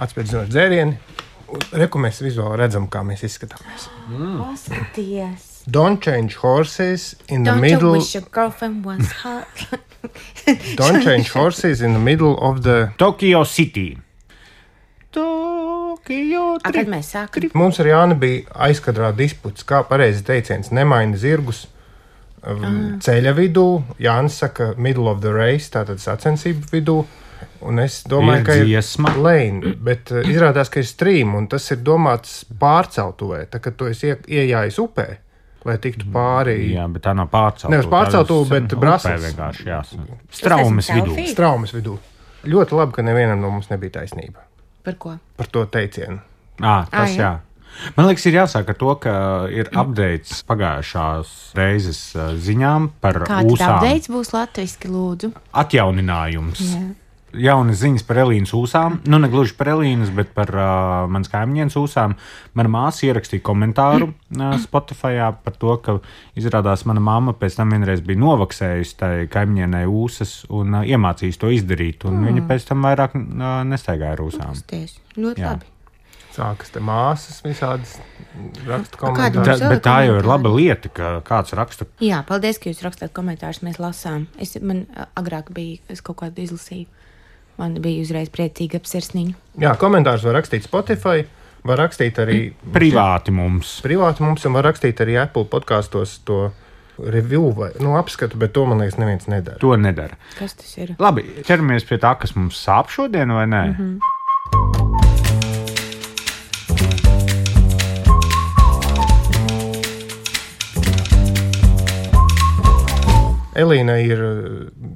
atspērdzinot dzērieni. Reku mēs vizuāli redzam, kā mēs izskatāmies. Paskaties. Don't change horses in the Don't middle... you wish your girlfriend was hot? Don't change horses in the middle of the... Tokyo City. Tokyo Kad mēs sākam? Mums ar Jāni bija aizkadrā disputs, kā pareizi teiciens, nemaina zirgus ceļa vidū. Jānis saka middle of the race, tātad sacensību vidū. Un es domāju, ka ir lane, bet izrādās, ka ir stream, un tas ir domāts pārceltuvē. Tā, kad tu esi iejājis upē, lai tiktu pāri... Jā, bet tā nav pārceltuve. Nevis pārceltuve, bet brasels. Straumes vidū. Ļoti labi, ka nevienam no mums nebija taisnība. Par ko? Par to teicienu. Tas jā. Man liekas, ir jāsāk ar to, ka ir updates pagājušās reizes ziņām par Kāda ūsām. updates būs latviski, lūdzu? Atjauninājums. Jā. Jaunas ziņas par Elīnas ūsām. Nu, ne gluži par Elīnas, bet par manas kaimiņienes ūsām. Mana māsa ierakstīja komentāru Spotifyā par to, ka izrādās mana mamma pēc tam vienreiz bija novaksējusi tai kaimiņienei ūsas un iemācījis to izdarīt. Un viņa pēc tam vairāk nestaigāja ar ūsām. Ļoti labi. Sākas te māsas visādas raksta komentārus. Bet tā jau ir laba lieta, ka kāds raksta. Jā, paldies, ka jūs rakstāt komentārus, mēs lasām. Man agrāk bija, es kaut kādu izlasīju. Man bija uzreiz priecīga apsirsniņa. Jā, komentārus var rakstīt Spotify, var rakstīt arī... Privāti mums. Privāti mums, un var rakstīt arī Apple podkastos to review vai apskatu, bet to, man liekas, neviens nedara. To nedara. Kas tas ir? Labi, ķeramies pie tā, kas mums sāp šodien, vai nē? Elīna ir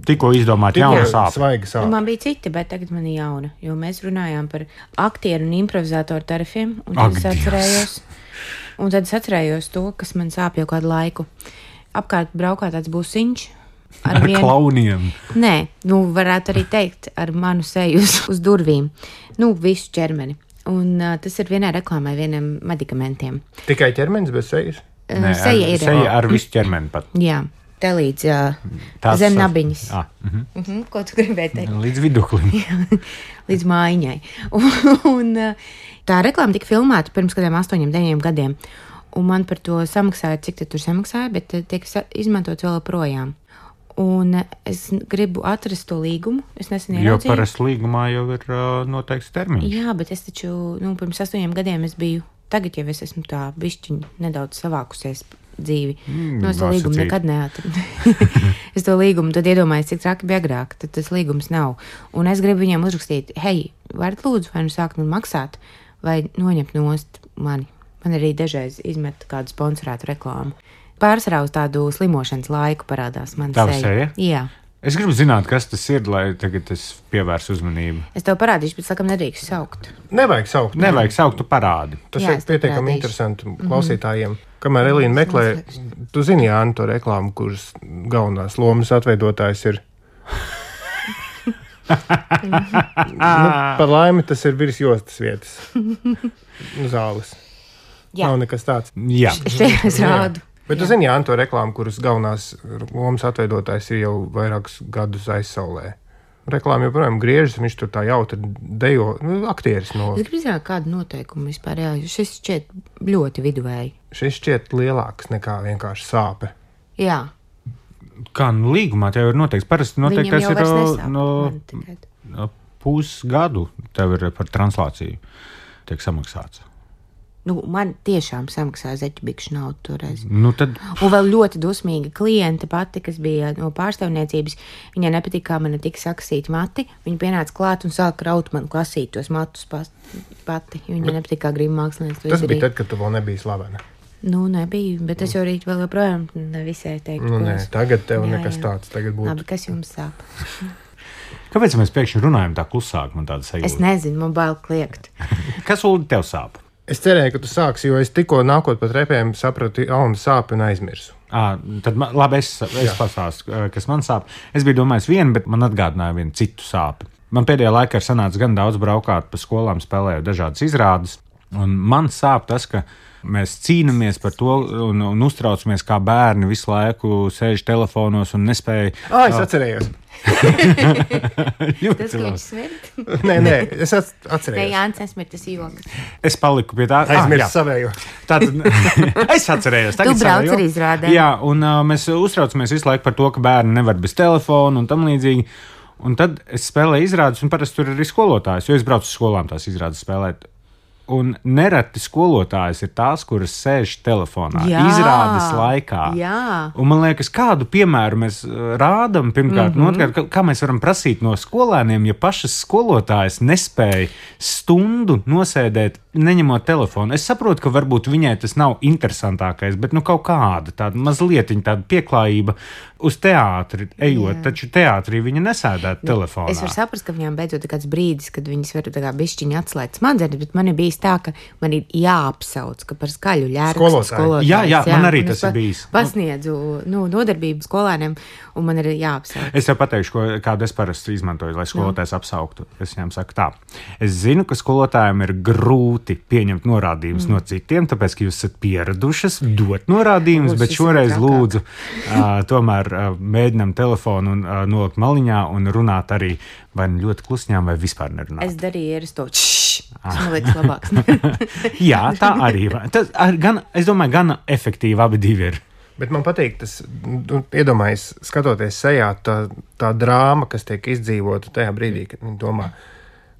tikko izdomāta jauna sāpe. Svaiga sāpe. Man bija citi, bet tagad man ir jauna, jo mēs runājām par aktieru un improvizatoru tarifiem, un tad es atcerējos to, kas man sāp jau kādu laiku. Apkārt braukā tāds būsiņš. Ar klauniem. Nē, varētu arī teikt, ar manu seju uz durvīm. Visu ķermeni. Un tas ir vienai reklāmai, vieniem medikamentiem. Tikai ķermenis bez sejas? Nē, seja ar visu ķermeni pat. Jā. Te līdz zem nabiņas. Ko tu gribēji teikt? Līdz viduklim. Līdz mājiņai. Un tā reklāma tika filmēta pirms kādiem 8-9 gadiem. Un man par to samaksāja, cik tur samaksāja, bet tiek izmantot vēl projām. Un es gribu atrast to līgumu. Es nesen ieraudzīju. Jo parasti līgumā jau ir noteikts termiņš. Jā, bet es taču, pirms 8 gadiem es biju, tagad jau es esmu tā bišķiņ nedaudz savākusies dzīvi. Es to līgumu nekad neatradu. Es to līgumu tad iedomājos, cik traki bija agrāk, tad tas līgums nav. Un es gribu viņiem uzrakstīt, hei, varat lūdzu vai sākt man maksāt, vai noņemt nost mani. Man arī dažreiz izmet kādu sponsorētu reklāmu. Pārsvarā uz tādu slimošanas laiku parādās man seja. Tava seja? Jā. Es gribu zināt, kas tas ir, lai tagad es pievērsu uzmanību. Es tev parādīšu, bet sakam nedrīkst saukt. Nevajag saukt, tu parādi. Tas ir pietiekami interesanti klausītājiem. Kamēr Elīna meklē, tu zini, Jāni, to reklāmu, kuras galvenās lomas atveidotājs ir. Par laimi tas ir virs jostas vietas. Zāles. Jā. Nav nekas tāds. Jā. Es rādu. Bet tu zini, Jāni, to reklāmu, kuras galvenās lomas atveidotājs ir jau vairākus gadus aizsaulē. Reklāma joprojām griežas, viņš tur tā jautri dejo, aktieris no... Es gribu zināt, kādu noteikumu vispār, jā, šis šķiet ļoti viduvēji. Šis šķiet lielāks nekā vienkārši sāpe. Jā. Kā, līgumā tev ir noteikts, parasti noteiktais ir no pusgadu tev ir par translāciju tiek samaksāts. Man tiešām samaksāja zeķibikšu naudu toreiz. Tad... Un vēl ļoti dusmīga kliente pati, kas bija no pārstāvniecības, viņai nepatīk, kā man tika saksīti mati. Viņa pienāca klāt un sāka raut man klasīt tos matus pati. Viņai nepatīk, kā grib mākslinieks to izdarīt. Tas bija tad, kad tu vēl nebija slavena. Nebija, bet es jau rīt vēl joprojām nevisai teiktu. Nē, tagad tev nekas tāds tagad būtu. Labi, kas jums sāp? Kāpēc mēs pēkšņi runājam tā klusāk, man tāda sajūta? Es nezinu, man bail kliegt. Kas, Uldi, tev sāp? Es cerēju, ka tu sāksi, jo es tikko nākot pa trepēm sapratu jaunu sāpi un aizmirsu. Tad labi, es pastāstu, kas man sāp. Es biju domājis vienu, bet man atgādināja vienu citu sāpi. Man pēdējā laikā ir sanācis gan daudz braukāt pa skolām, spēlējot dažādas izrādes. Un man sāp tas, ka mēs cīnāmies par to un uztraucamies, kā bērni visu laiku sēž telefonos un nespēja. Es atcerējos. Tas, ka viņš smirt? Nē, es Nē, atcerējos. Jānis nesmirt, tas joks. Es paliku pie tā. Aizmirsu savējo. Tātad es atcerējos. Tu brauc arī izrādē. Jā, un mēs uztraucamies visu laiku par to, ka bērni nevar bez telefona un tam līdzīgi. Un tad es spēlēju izrādes, un parasti tur ir arī skolotājs, jo es braucu uz skolām tās izrādes spēlēt. Un nereti skolotājs ir tās, kuras sēž telefonā izrādes laikā. Jā. Un man liekas, kādu piemēru mēs rādām, pirmkārt, un otrkārt, kā mēs varam prasīt no skolēniem, ja pašas skolotājs nespēja stundu nosēdēt, neņemot telefonu. Es saprotu, ka varbūt viņai tas nav interesantākais, bet kaut kāda tāda mazlietiņa tāda pieklājība uz teātri ejot, taču teātrī viņa nesēdētu telefonā. Es varu saprast, ka viņām beidzot ir kāds brīdis, kad viņas var tā kā bišķiņi atslēgt smadzenes, bet man ir bijis tā, ka man ir jāapsauc, ka par skaļu ļērkstu skolotājs. Jā, man arī tas ir bijis. Pasniedzu nodarbību skolēniem, un man ir jāapsauc. Es jau pateikšu, kādu es parasti izmantoju, lai skolotājs apsauktu. Es viņam saku tā. Es zinu, ka skolotājiem ir grūti pieņemt norādījumus no citiem, tāpēc, ka jūs esat pieradušas dot norādījumus, bet šoreiz lūdzu tomēr mēģinām telefonu un nolikt maliņā un runāt arī vai ļoti klusņām, vai vispār nerunāt. Es darīju ieresto man liekas labāks. Jā, tā arī. Tas es domāju, gan efektīvi abi divi ir. Bet man patīk tas, iedomājies, skatoties sejā, tā drāma, kas tiek izdzīvota tajā brīdī, kad viņi domā.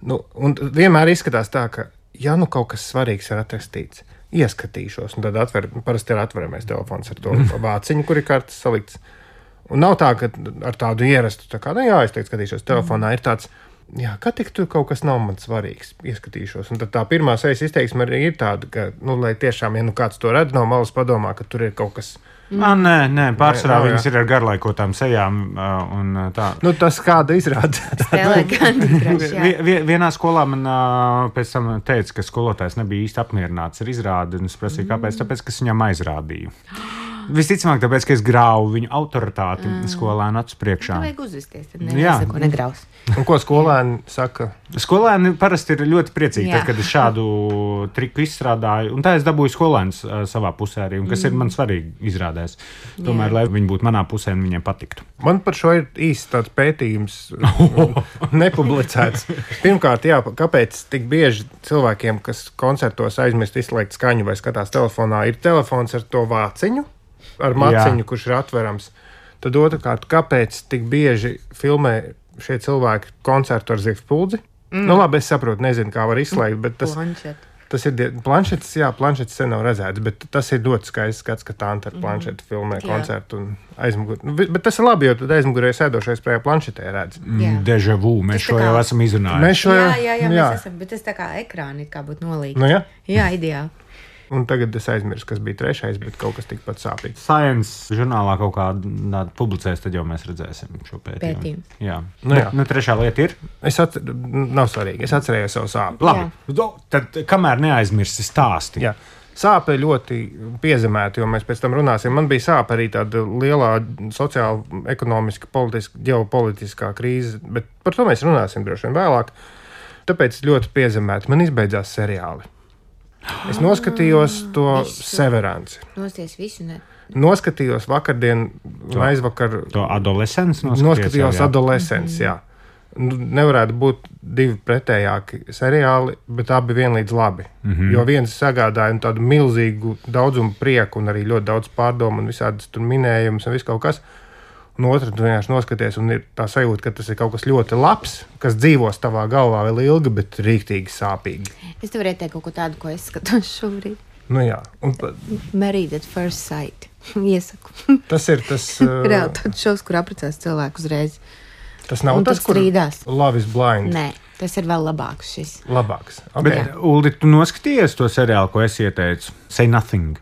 Un vienmēr izskatās tā, ka, ja kaut kas svarīgs ir atrakstīts, ieskatīšos, un tad parasti ir atveramais telefons ar to vāciņu, kur ir kartes salikts. Un nav tā, ka ar tādu ierastu, es teicu, skatīšos telefonā, ir tāds, kā tik tur kaut kas nav man svarīgs, ieskatīšos. Un tad tā pirmā sejas izteiksme arī ir tāda, ka, lai tiešām, ja kāds to redz no malas padomā, ka tur ir kaut kas. Nē, pārsvarā viņas ir ar garlaikotām sejām un tā. Tas kāda izrāda. Spēlē Candy Crush, jā. Vienā skolā man pēc tam teica, ka skolotājs nebija īsti apmierināts ar izrādi, un es prasīju, kāpēc, tāpēc, ka es viņam aizrādīju. Visticamāk, tāpēc, ka es grauju viņu autoritāti skolēnu acu priekšā. Tā vajag uzvesties, tad nesako negraus. Un ko skolēni saka? Skolēni parasti ir ļoti priecīgi, tad, kad es šādu triku izstrādāju. Un tā es dabūju skolēnus savā pusē arī, un kas ir man svarīgi izrādēs. Tomēr, lai viņi būtu manā pusē un viņiem patiktu. Man par šo ir īsts tāds pētījums nepublicēts. Pirmkārt, kāpēc tik bieži cilvēkiem, kas koncertos aizmirst izslēgt skaņu vai skatās telefonā, ir telefons ar to vāciņu, ar maciņu, kurš ir atverams. Tad otrkārt, kāpēc tik bieži filmē šie cilvēki koncertu ar zivspuldzi? Labi, es saprotu, nezinu, kā var izslēgt, bet tas ir planšetes, planšetes sen nav redzēts, bet tas ir ļoti skaists skats, ka Tanta ar planšeti filmē koncertu un aizmugurē. Bet tas ir labi, jo tad aizmugurē sēdošais pie planšetē redz. Deja vu, mēs šo jau esam izrunājuši. Mēs esam, bet tas tā kā ekrāni kā būtu nolīgts. Jā, ideāli. Un tagad es aizmirsu, kas bija trešais, bet kaut kas tikpat sāpīgs. Science žurnālā kaut kādā publicēs, tad jau mēs redzēsim šo pētījumu. Jā. Trešā lieta ir? Nav svarīgi. Es atcerējos savu sāpju. Labi. Tad kamēr neaizmirsti stāsti. Jā. Sāpe ļoti piezemēta, jo mēs pēc tam runāsim. Man bija sāpe arī tāda lielā sociāla, ekonomiska, ģeopolitiskā krīze, bet par to mēs runāsim droši vien vēlāk. Tāpēc ļoti piezemēta. Man izbeidzās seriāli. Es noskatījos to Severanci. Nosties visu, ne? Noskatījos vakardien, aizvakar. To Adolescents noskatījos Adolescents, jā. Nevarētu būt divi pretējāki seriāli, bet abi vienlīdz labi. Jo viens sagādāja tādu milzīgu daudzumu prieku un arī ļoti daudz pārdomu un visādas tur minējumus un viss kaut kas. Un otrs, tu vienkārši noskaties, un ir tā sajūta, ka tas ir kaut kas ļoti labs, kas dzīvos tavā galvā vēl ilgi, bet rīktīgi sāpīgi. Es tev varētu teikt kaut ko tādu, ko es skatos šobrīd. Jā. Married at First Sight. Iesaku. Tas ir tas... Reāli tāds šovs, kur apprecās cilvēku uzreiz. Tas nav un tas, kur strīdās. Love is blind. Nē, tas ir vēl labāks šis. Labāks. Okay. Bet, Uldi, tu noskaties to seriālu, ko es ieteicu? Say Nothing.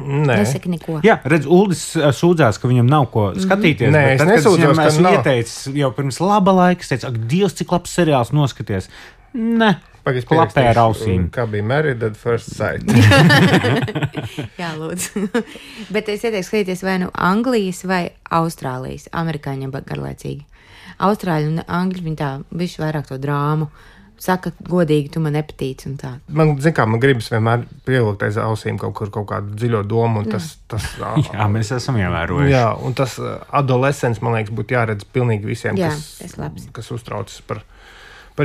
Nē. Nesaki neko. Jā, redz, Uldis sūdzās, ka viņam nav ko skatīties. Nē, es nesūdzos, ka esmu ieteicis jau pirms laba laika. Es teicu, ak, Dievs, cik labs seriāls noskaties. Nē, klapē ar ausīm. Kā bija Married at First Sight. Jā, lūdzu. Bet es ieteiktu skatīties vai nu Anglijas vai Austrālijas. Amerikāņiem garlaicīgi. Austrāļi un Angļi, viņi tā bišķi vairāk to drāmu saka godīgi, tu man nepatīc un tā. Man gribas vienmēr pievilkt aiz ausīm kaut kādu dziļo domu, un tas Jā, mēs esam ievērojuši. Jā, un tas adolescents, man liekas, būtu jāredz pilnīgi visiem, Jā, kas uztraucas par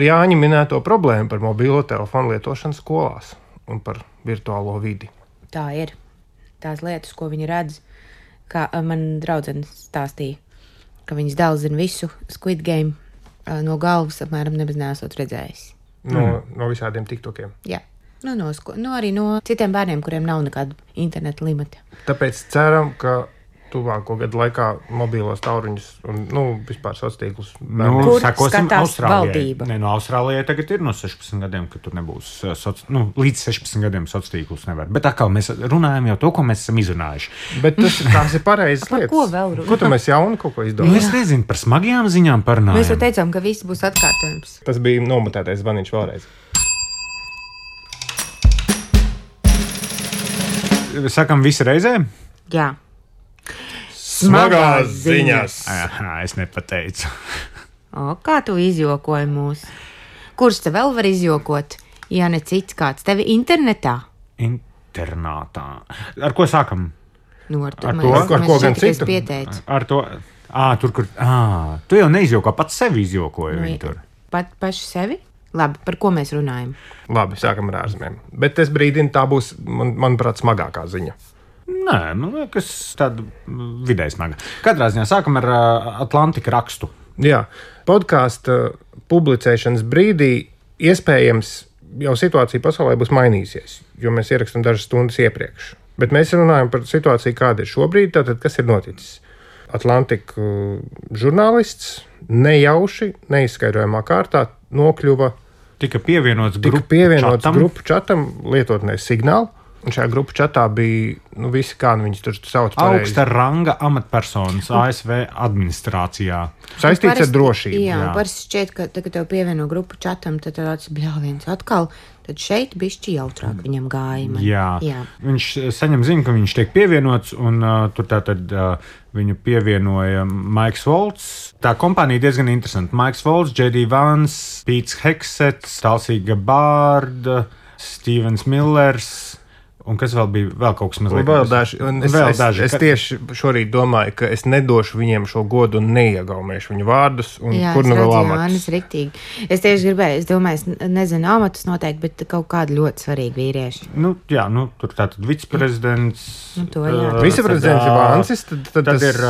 Jāņa minēto problēmu, par mobilo telefonu lietošanu skolās un par virtuālo vidi. Tā ir. Tās lietas, ko viņi redz, kā man draudzene stāstīja, ka viņas dēls zina visu Squid Game no galvas, apmēram nebez neesot redzējis. No visādiem tiktokiem. Jā. Arī no citiem bērniem, kuriem nav nekāda interneta limita. Tāpēc ceram, ka tuvāko gadu laikā mobilos tauriņus un vispār sociālos tīklus. Kur skatās valdība? Nē, no Austrālijai tagad ir no 16 gadiem, ka tur nebūs līdz 16 gadiem sociālos tīklus nevar. Bet atkal mēs runājam jau to, ko mēs esam izrunājuši. Bet tās ir pareizas lietas. Ko vēl runāt? Ko tu mēs jaunu kaut ko izdomājam? Es nezinu, par smagajām ziņām parunājam. Mēs jau teicām, ka viss būs atkārtojums. Tas bija nomutētais zvaniņš vēlreiz. Sakam visi reizē? Jā. Smagās ziņas. Aha, es nepateicu. Kā tu izjokoji mūs? Kurš te vēl var izjokot? Ja ne cits kāds tevi internetā? Internātā. Ar ko sākam? Ar to? Ar ko gan citu? Ar to. Tur, kur. Tu jau neizjoko, pats sevi izjokoji viņu tur. Paši sevi? Labi, par ko mēs runājam? Labi, sākam ar ārzemēm. Bet es brīdinu, tā būs, manuprāt, smagākā ziņa. Nē, man liekas, tāda vidēji smaga. Katrā ziņā sākam ar Atlantika rakstu. Jā, podkāstu publicēšanas brīdī iespējams jau situācija pasaulē būs mainījusies, jo mēs ierakstām dažas stundas iepriekš. Bet mēs runājam par situāciju, kāda ir šobrīd, tātad kas ir noticis. Atlantika žurnālists nejauši, neizskaidrojamā kārtā nokļuva Tika pievienots grupu čatam lietotnē Signālu. Un šajā grupu čatā bija visi, kā viņus tur sauc. Augsta ranga amatpersonas ASV administrācijā. Saistīts ar drošību. Jā, parasti šķiet, ka tagad tev pievieno grupu čatam, tad tāds bļāviens atkal. Tad šeit bišķi jautrāk viņam gāja. Jā. Viņš saņem ziņu, ka viņš tiek pievienots, un tur tātad viņu pievienoja Maiks Volts. Tā kompānija diezgan interesanta. Maiks Volts, J.D. Vance, Pīts Heksets, Talsīga Bārda, Stevens Millers. Un kas vēl bija? Vēl kaut kas mazliet. Es tieši šorīt domāju, ka es nedošu viņiem šo godu un neiegaumēšu viņu vārdus. Jā, kur nu vēl amatus? Riktīgi. Es tieši gribēju, es domāju, es nezinu amatus noteikti, bet kaut kādi ļoti svarīgi vīrieši. Tur tātad viceprezidents. Viceprezidents ir Vancis. Tad ir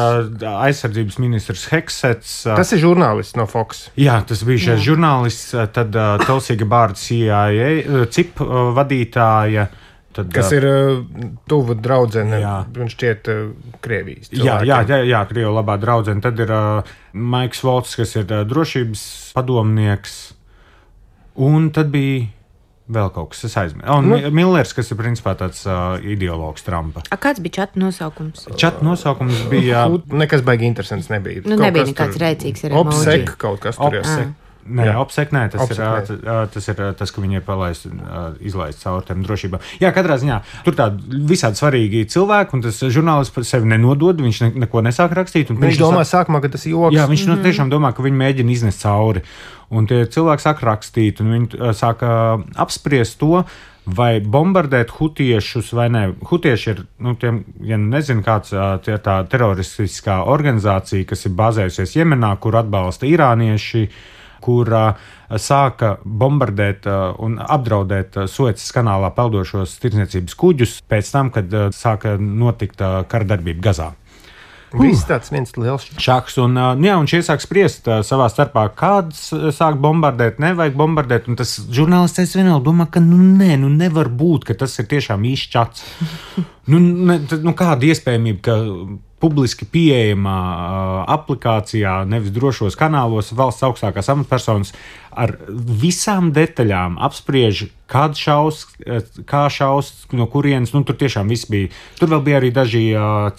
aizsardzības ministrs Heksets. Tas ir žurnālists no Fox. Jā, tas bija šis žurnālists. Tad Talsīga Bārda CIA, CIP vadītāja. Kas ir tuva draudzene, viņš šķiet Krievijas cilvēkiem. Jā, Krievu labā draudzene. Tad ir Maiks Volts, kas ir drošības padomnieks. Un tad bija vēl kaut kas, es aizmirsu. Millers, kas ir principā tāds ideologs Trumpa. Kāds bija čata nosaukums? Čata nosaukums bija... Nekas baigi interesants nebija. Nebija nekāds rēcīgs ar emoji. Opsek kaut kas tur jāsaka. Nē, OPSEC, tas ir tas, ka viņi ir izlaist cauri tiem drošībām. Jā, katrā ziņā tur tādi visādi svarīgi cilvēki, un tas žurnālists par sevi nenodod, viņš neko nesāk rakstīt. Viņš domā sākumā, ka tas ir joks. Jā, viņš tiešām domā, ka viņi mēģina iznest cauri. Un tie cilvēki sāk rakstīt, un viņi sāk apspriest to, vai bombardēt hutiešus vai nē. Hitieši ir, tiem, ja nezinu, kāds tie tā teroristiskā organizācija, kas ir bāzējusies Jemenā, kur atbalsta irānieši, kur sāka bombardēt un apdraudēt Suecas kanālā peldošos tirdzniecības kuģus pēc tam, kad sāka notikt kardarbība Gazā. Viss tāds viens liels šaks. Un šie sāk spriest savā starpā, kāds sāk bombardēt, nevajag bombardēt. Un tas žurnālists vienvēl domā, ka nevar būt, ka tas ir tiešām īsts čats. Kāda iespējamība, ka publiski pieejamā aplikācijā, nevis drošos kanālos, valsts augstākās amatpersonas ar visām detaļām apspriež, kā šaus, no kurienes. Tur tiešām viss bija. Tur vēl bija arī daži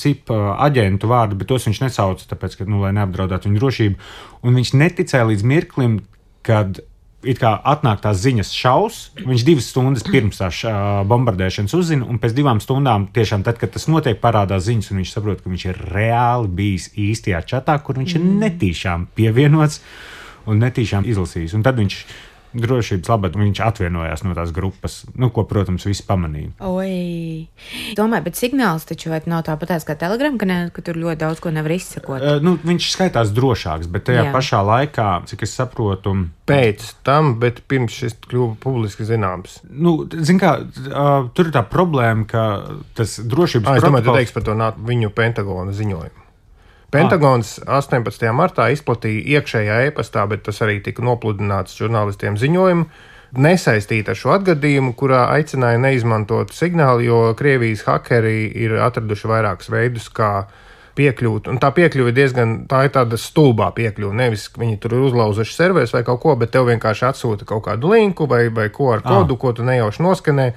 CIP aģentu vārdi, bet tos viņš nesauca, tāpēc, ka, lai neapdraudētu viņu drošību. Un viņš neticēja līdz mirklim, kad it kā atnāk tās ziņas šaus, viņš 2 stundas pirms tās bombardēšanas uzzina, un pēc 2 stundām, tiešām tad, kad tas notiek, parādās ziņas, un viņš saprot, ka viņš ir reāli bijis īstajā čatā, kur viņš ir netīšām pievienots un netīšām izlasījis. Un tad viņš drošības labad viņš atvienojās no tās grupas, ko, protams, visi pamanīja. Oi. Domāju, bet signāls taču nav tāpatās kā Telegram, ka tur ļoti daudz ko nevar izsekot. Viņš skaitās drošāks, bet tajā pašā laikā, cik es saprotu... Pēc tam, bet pirms šis kļuva publiski zināms. Zin kā, tur ir tā problēma, ka tas drošības protokols... Es domāju, tu teiksi par to viņu Pentagona ziņojumu. Pentagons 18. martā izplatīja iekšējā e-pastā, bet tas arī tika nopludināts žurnālistiem ziņojumu, nesaistīta ar šo atgadījumu, kurā aicināja neizmantot signālu, jo Krievijas hakeri ir atraduši vairākus veidus, kā piekļūt. Un tā piekļuve tā ir tāda stulbā piekļuve. Nevis viņi tur ir uzlauzuši serverus vai kaut ko, bet tev vienkārši atsūta kaut kādu linku vai QR kodu, ko tu nejauši noskanē,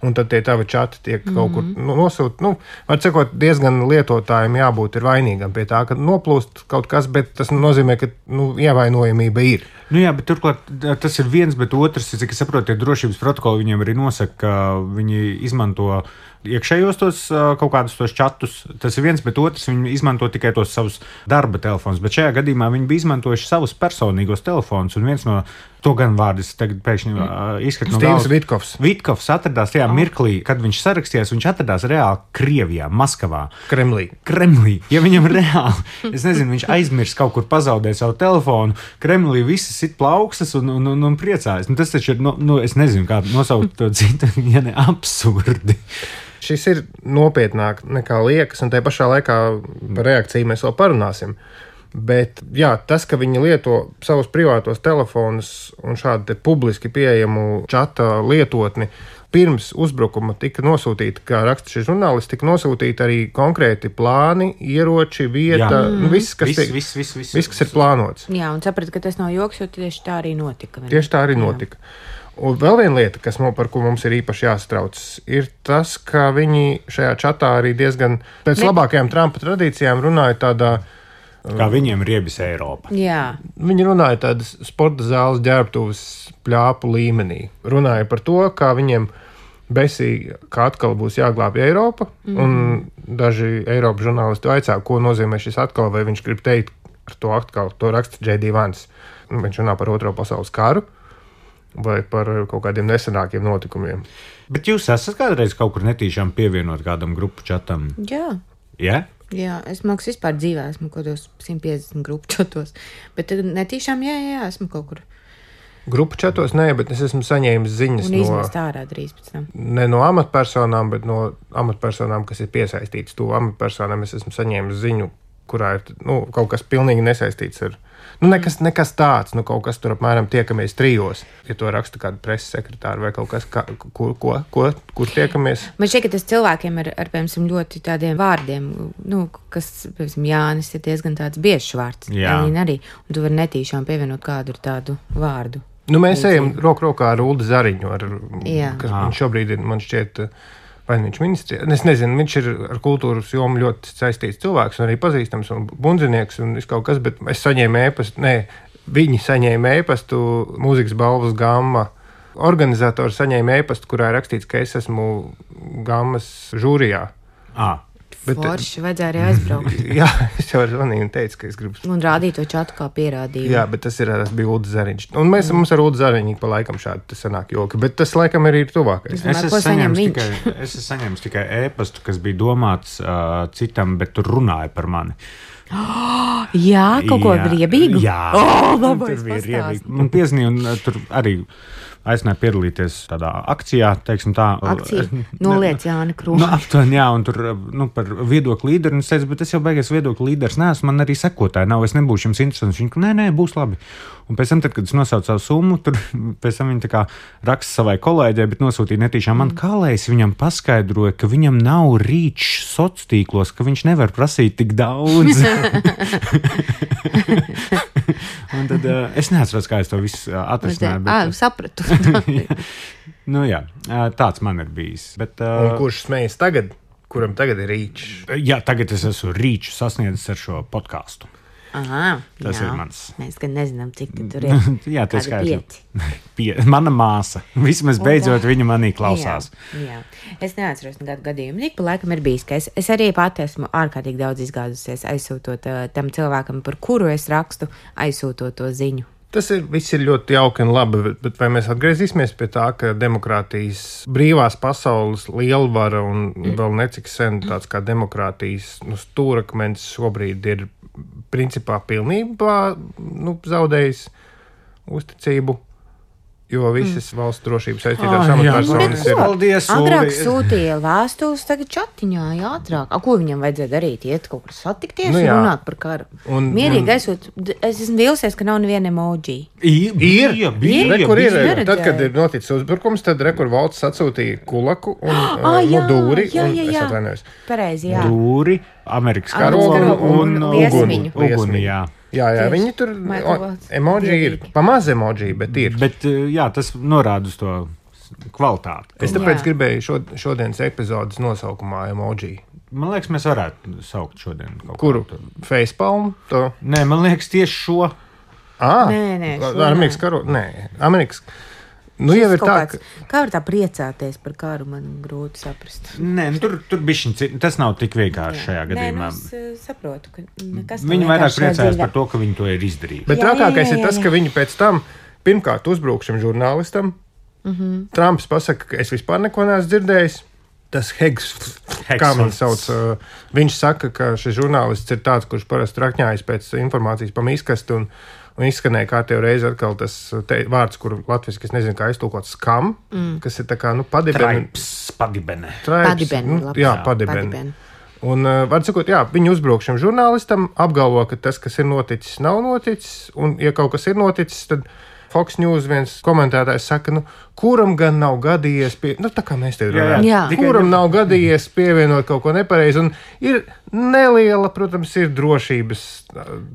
un tad tie tavi čati tiek kaut kur nosūta. Var sakot, diezgan lietotājiem jābūt ir vainīgam pie tā, ka noplūst kaut kas, bet tas nozīmē, ka ievainojamība ir. Jā, bet turklāt tas ir viens, bet otrs, cik es saprotu, tie drošības protokoli viņiem arī nosaka, ka viņi izmanto iekšējos tos kaut kādus tos čatus. Tas ir viens, bet otrs viņi izmanto tikai tos savus darba telefonus. Bet šajā gadījumā viņi bija izmantojuši savus personīgos telefonus, un viens no to gan vārdus tagad pēkšņi izskat no galvas. Vitkovs. Vitkovs atradās tajā mirklī, kad viņš sarakstījās, viņš atradās reāli Krievijā, Maskavā. Kremlī. Ja viņam reāli, es nezinu, viņš aizmirs kaut kur pazaudēt savu telefonu, Kremlī visi sit plaukstas un priecājas. Tas taču ir, es nezinu, kā nosaukt to citu, ja ne absurdi. Šis ir nopietnāk nekā liekas, un tajā pašā laikā par reakciju mēs vēl parunāsim. Bet jā, tas, ka viņi lieto savus privātos telefonus un šādu publiski pieejamu čata lietotni, pirms uzbrukuma tika nosūtīta, kā raksta šis žurnālists, tika nosūtīta arī konkrēti plāni, ieroči, vieta, viss, kas ir plānots. Jā, un saprat, ka tas nav joks, jo tieši tā arī notika. Tieši tā arī notika. Un vēl viena lieta, par ko mums ir īpaši jāsatrauc, ir tas, ka viņi šajā čatā arī diezgan pēc labākajām Trumpa tradīcijām runāja tādā... Kā viņiem riebis Eiropa. Jā. Viņi runāja tādas sporta zāles ģērbtuves pļāpu līmenī. Runāja par to, kā viņiem besīgi, ka atkal būs jāglābj Eiropa, un daži Eiropas žurnālisti vaicā, ko nozīmē šis atkal, vai viņš grib teikt ar to atkal, to raksta J.D. Vance. Viņš runā par Otro pasaules karu vai par kaut kādiem nesenākiem notikumiem. Bet jūs esat kādreiz kaut kur netīšām pievienot kādam grupu čatam? Jā. Jā? Jā, es māku vispār dzīvē, esmu kaut kādos 150 grupu čatos, bet netīšām, jā, esmu kaut kur. Grupu čatos nē, bet es esmu saņēmis ziņas un izmest ārā drīz pēc tam. Ne no amatpersonām, bet no amatpersonām, kas ir piesaistītas. To amatpersonām es esmu saņēmis ziņu, kurā ir kaut kas pilnīgi nesaistīts ar... Nekas tāds, kaut kas tur apmēram tiekamies 3, ja to raksta kāda preses sekretāra vai kaut kas, kur tiekamies. Man šķiet, ka tas cilvēkiem ar piemēram, ļoti tādiem vārdiem, kas, piemēram, Jānis ir diezgan tāds biežs vārds. Jā. Arī, un tu vari netīšām pievienot kādu ar tādu vārdu. Mēs ejam roku rokā ar Uldi Zariņu, kas viņš šobrīd ir, man šķiet, vai viņš ministri, es nezinu, viņš ir ar kultūras jomu ļoti saistīts cilvēks un arī pazīstams un bundzinieks un viss kaut kas, bet es saņēmu viņi saņēma e-pastu mūzikas balvas Gamma. Organizatori saņēma e-pastu, kurā ir rakstīts, ka es esmu Gammas žūrijā. Forši, vajadzēja arī aizbraukt. Jā, es jau zvanīju un teicu, ka es gribu... Un rādīt to čatu kā pierādījumu. Jā, bet tas bija Ulda Zariņš. Un mums ar Ulda Zariņu pa laikam šādi sanāk joki, bet tas laikam arī ir tuvākais. Es esmu saņēmis tikai e-pastu, kas bija domāts citam, bet tur runāja par mani. Jā, kaut ko riebīgu? Jā, labais tur bija riebīgi. Man piezīmīja un tur arī... aicināja piedalīties tādā akcijā, teiksim tā. Akcija? Noliec Jāni Krūmu. Aptuveni, jā, un tur par viedokļu līderi, un es teicu, bet es jau beigās viedokļu līderis neesmu, man arī sekotāji nav, es nebūšu jums interesants. Viņš, nē, būs labi. Un pēc tam, tad, kad es nosaucu savu summu, tur pēc tam viņa tā kā raksta savai kolēģei, bet nosūtīja netīšām man, kā lai es viņam paskaidroju, ka viņam nav rīčs sociālos tīklos, ka viņš nevar prasīt tik daudz. Un tad es neatceros, kā es to visu atrisināju. Bet... sapratu. Jā, tāds man ir bijis. Bet, un kurš smējas tagad? Kuram tagad ir rīčs? Jā, tagad es esmu rīču sasniedzis ar šo podkāstu. Aha, tas ir mans. Mēs gan nezinām, cik tur ir. Jā, tas skaidrs. Mana māsa. Vismaz beidzot viņa manī klausās. Jā. Es neatceros nekādu gadījumu. Ik pa laikam ir bijis, ka es arī pati esmu ārkārtīgi daudz izgāzusies, aizsūtot tam cilvēkam, par kuru es rakstu, aizsūtot to ziņu. viss ir ļoti jauki un labi, bet vai mēs atgriezīsimies pie tā, ka demokrātijas brīvās pasaules lielvara un vēl necik sen tāds kā demokrātijas stūrakmens šobrīd ir principā pilnībā zaudējis uzticību? Jo visas valsts drošības saistītās amatpersonas ir. Paldies, agrāk sūtīja vēstules, tagad čatiņā ātrāk. Ko viņam vajadzēja darīt? Iet kaut kur satikties un runāt par karu. Mierīgi aizsūt. Es esmu vīlusies, ka nav neviena emoji. Ir. Tad, kad ir noticis uzbrukums, tad rekur valsts atsūtīja kulaku un dūri. Es atvainojos. Pareizi, jā. Dūri, Amerikas karogu un uguni, jā. Jā, viņi tur emoji ir. Pamaz emoji, bet ir. Bet, jā, tas norāda uz to kvalitāti. Es tāpēc gribēju šodienas epizodes nosaukumā emoji. Man liekas, mēs varētu saukt šodien kaut kuru? Facepalm? Nē, man liekas tieši šo. Nē, Amerikas karogu? Nē, Amerikas. Jau ir tā, kā var tā priecāties par karu, man grūti saprast. Nē, tur bišķiņ, tas nav tik vienkārši šajā gadījumā. Es saprotu, ka nekas viņi vairāk priecājas par to, ka viņi to ir izdarījuši. Bet trakākais ir tas, ka viņi pēc tam pirmkārt uzbruk šim žurnālistam. Trumps pasaka, ka es vispār neko neesmu dzirdējis. Tas Heggs, kā man sauc, viņš saka, ka šis žurnālists ir tāds, kurš parasti rakņājas pēc informācijas pa mīskastu un izskanēja kārtējo reizi atkal tas vārds, kuru latviski, es nezinu, kā iztulkot, skam, kas ir tā kā, padibene. Padibene. Jā, padibene. Un, var sakot, jā, viņi uzbruk šim žurnālistam, apgalvo, ka tas, kas ir noticis, nav noticis, un, ja kaut kas ir noticis, tad Fox News viens komentētājs saka, kuram gan nav gadījies, tā kā mēs te runājam, kuram nav gadījies pievienot kaut ko nepareizi, un ir neliela, protams, ir drošības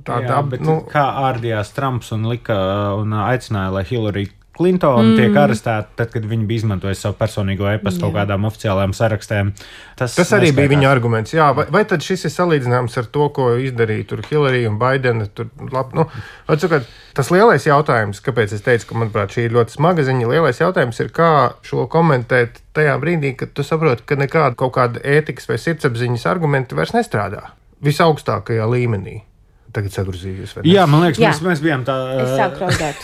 tāda. Kā ārdījās Trumps un aicināja, lai Hillary Clinton tiek arestēta, tad, kad viņi bija izmantojis savu personīgo e-pastu kaut kādām oficiālajām sarakstēm. Tas arī bija viņa arguments. Jā, vai tad šis ir salīdzināms ar to, ko izdarīja tur Hillary un Bidena? Tas lielais jautājums, kāpēc es teicu, ka, manuprāt, šī ir ļoti smaga ziņa, lielais jautājums ir, kā šo komentēt tajā brīdī, kad tu saproti, ka nekāda kaut kāda ētikas vai sirdsapziņas argumenti vairs nestrādā visaugstākajā līmenī. Tagad sagruzījos. Jā, man liekas, mēs bijām tā. Es sāku raudāt.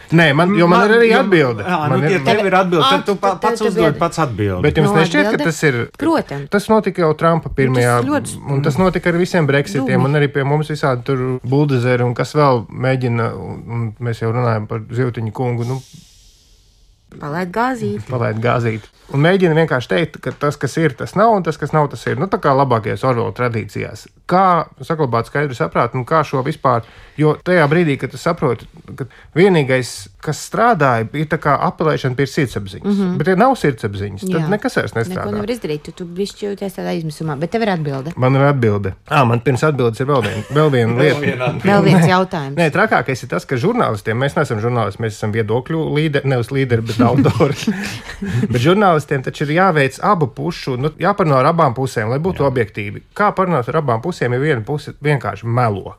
Nē, jo man ir arī atbilde. Ja tev ir atbilde, tad tu pats uzdod pats atbildi. Bet jums nešķiet, ka tas ir... Protams. Tas notika jau Trumpa pirmajā, un tas notika ar visiem Brexitiem, un arī pie mums visādi tur buldozeri, un kas vēl mēģina, un mēs jau runājam par Zivtiņu kungu, Palaid gāzīt. Un mēģina vienkārši teikt, ka tas, kas ir, tas nav, un tas, kas nav, tas ir. Tā kā labākajās Orwella tradīcijās. Kā saglabāt skaidru saprātu, un kā šo vispār, jo tajā brīdī, kad tu saproti, ka vienīgais, kas strādāja, ir tā kā apelēšana pie sirdsapziņas. Bet, ja nav sirdsapziņas, tad nekas vairs nestrādā. Neko nevar izdarīt, tu bišķi jūties tādā izmisumā, bet tev ir atbilde. Man ir atbilde. Man pirms atbildes ir vēl viena lieta. Vēl viens jautājums. Nē, trakākais ir tas, ka žurnālistiem, mēs neesam žurnālisti, mēs esam viedokļu līderi, nevis līderi, bet autori. Bet žurnālistiem taču ir jāveic abu pušu, jāparunā ar abām pusēm, lai būtu objektīvi. Kā parunāt ar abām pusēm, ja viena puse vienkārši melo,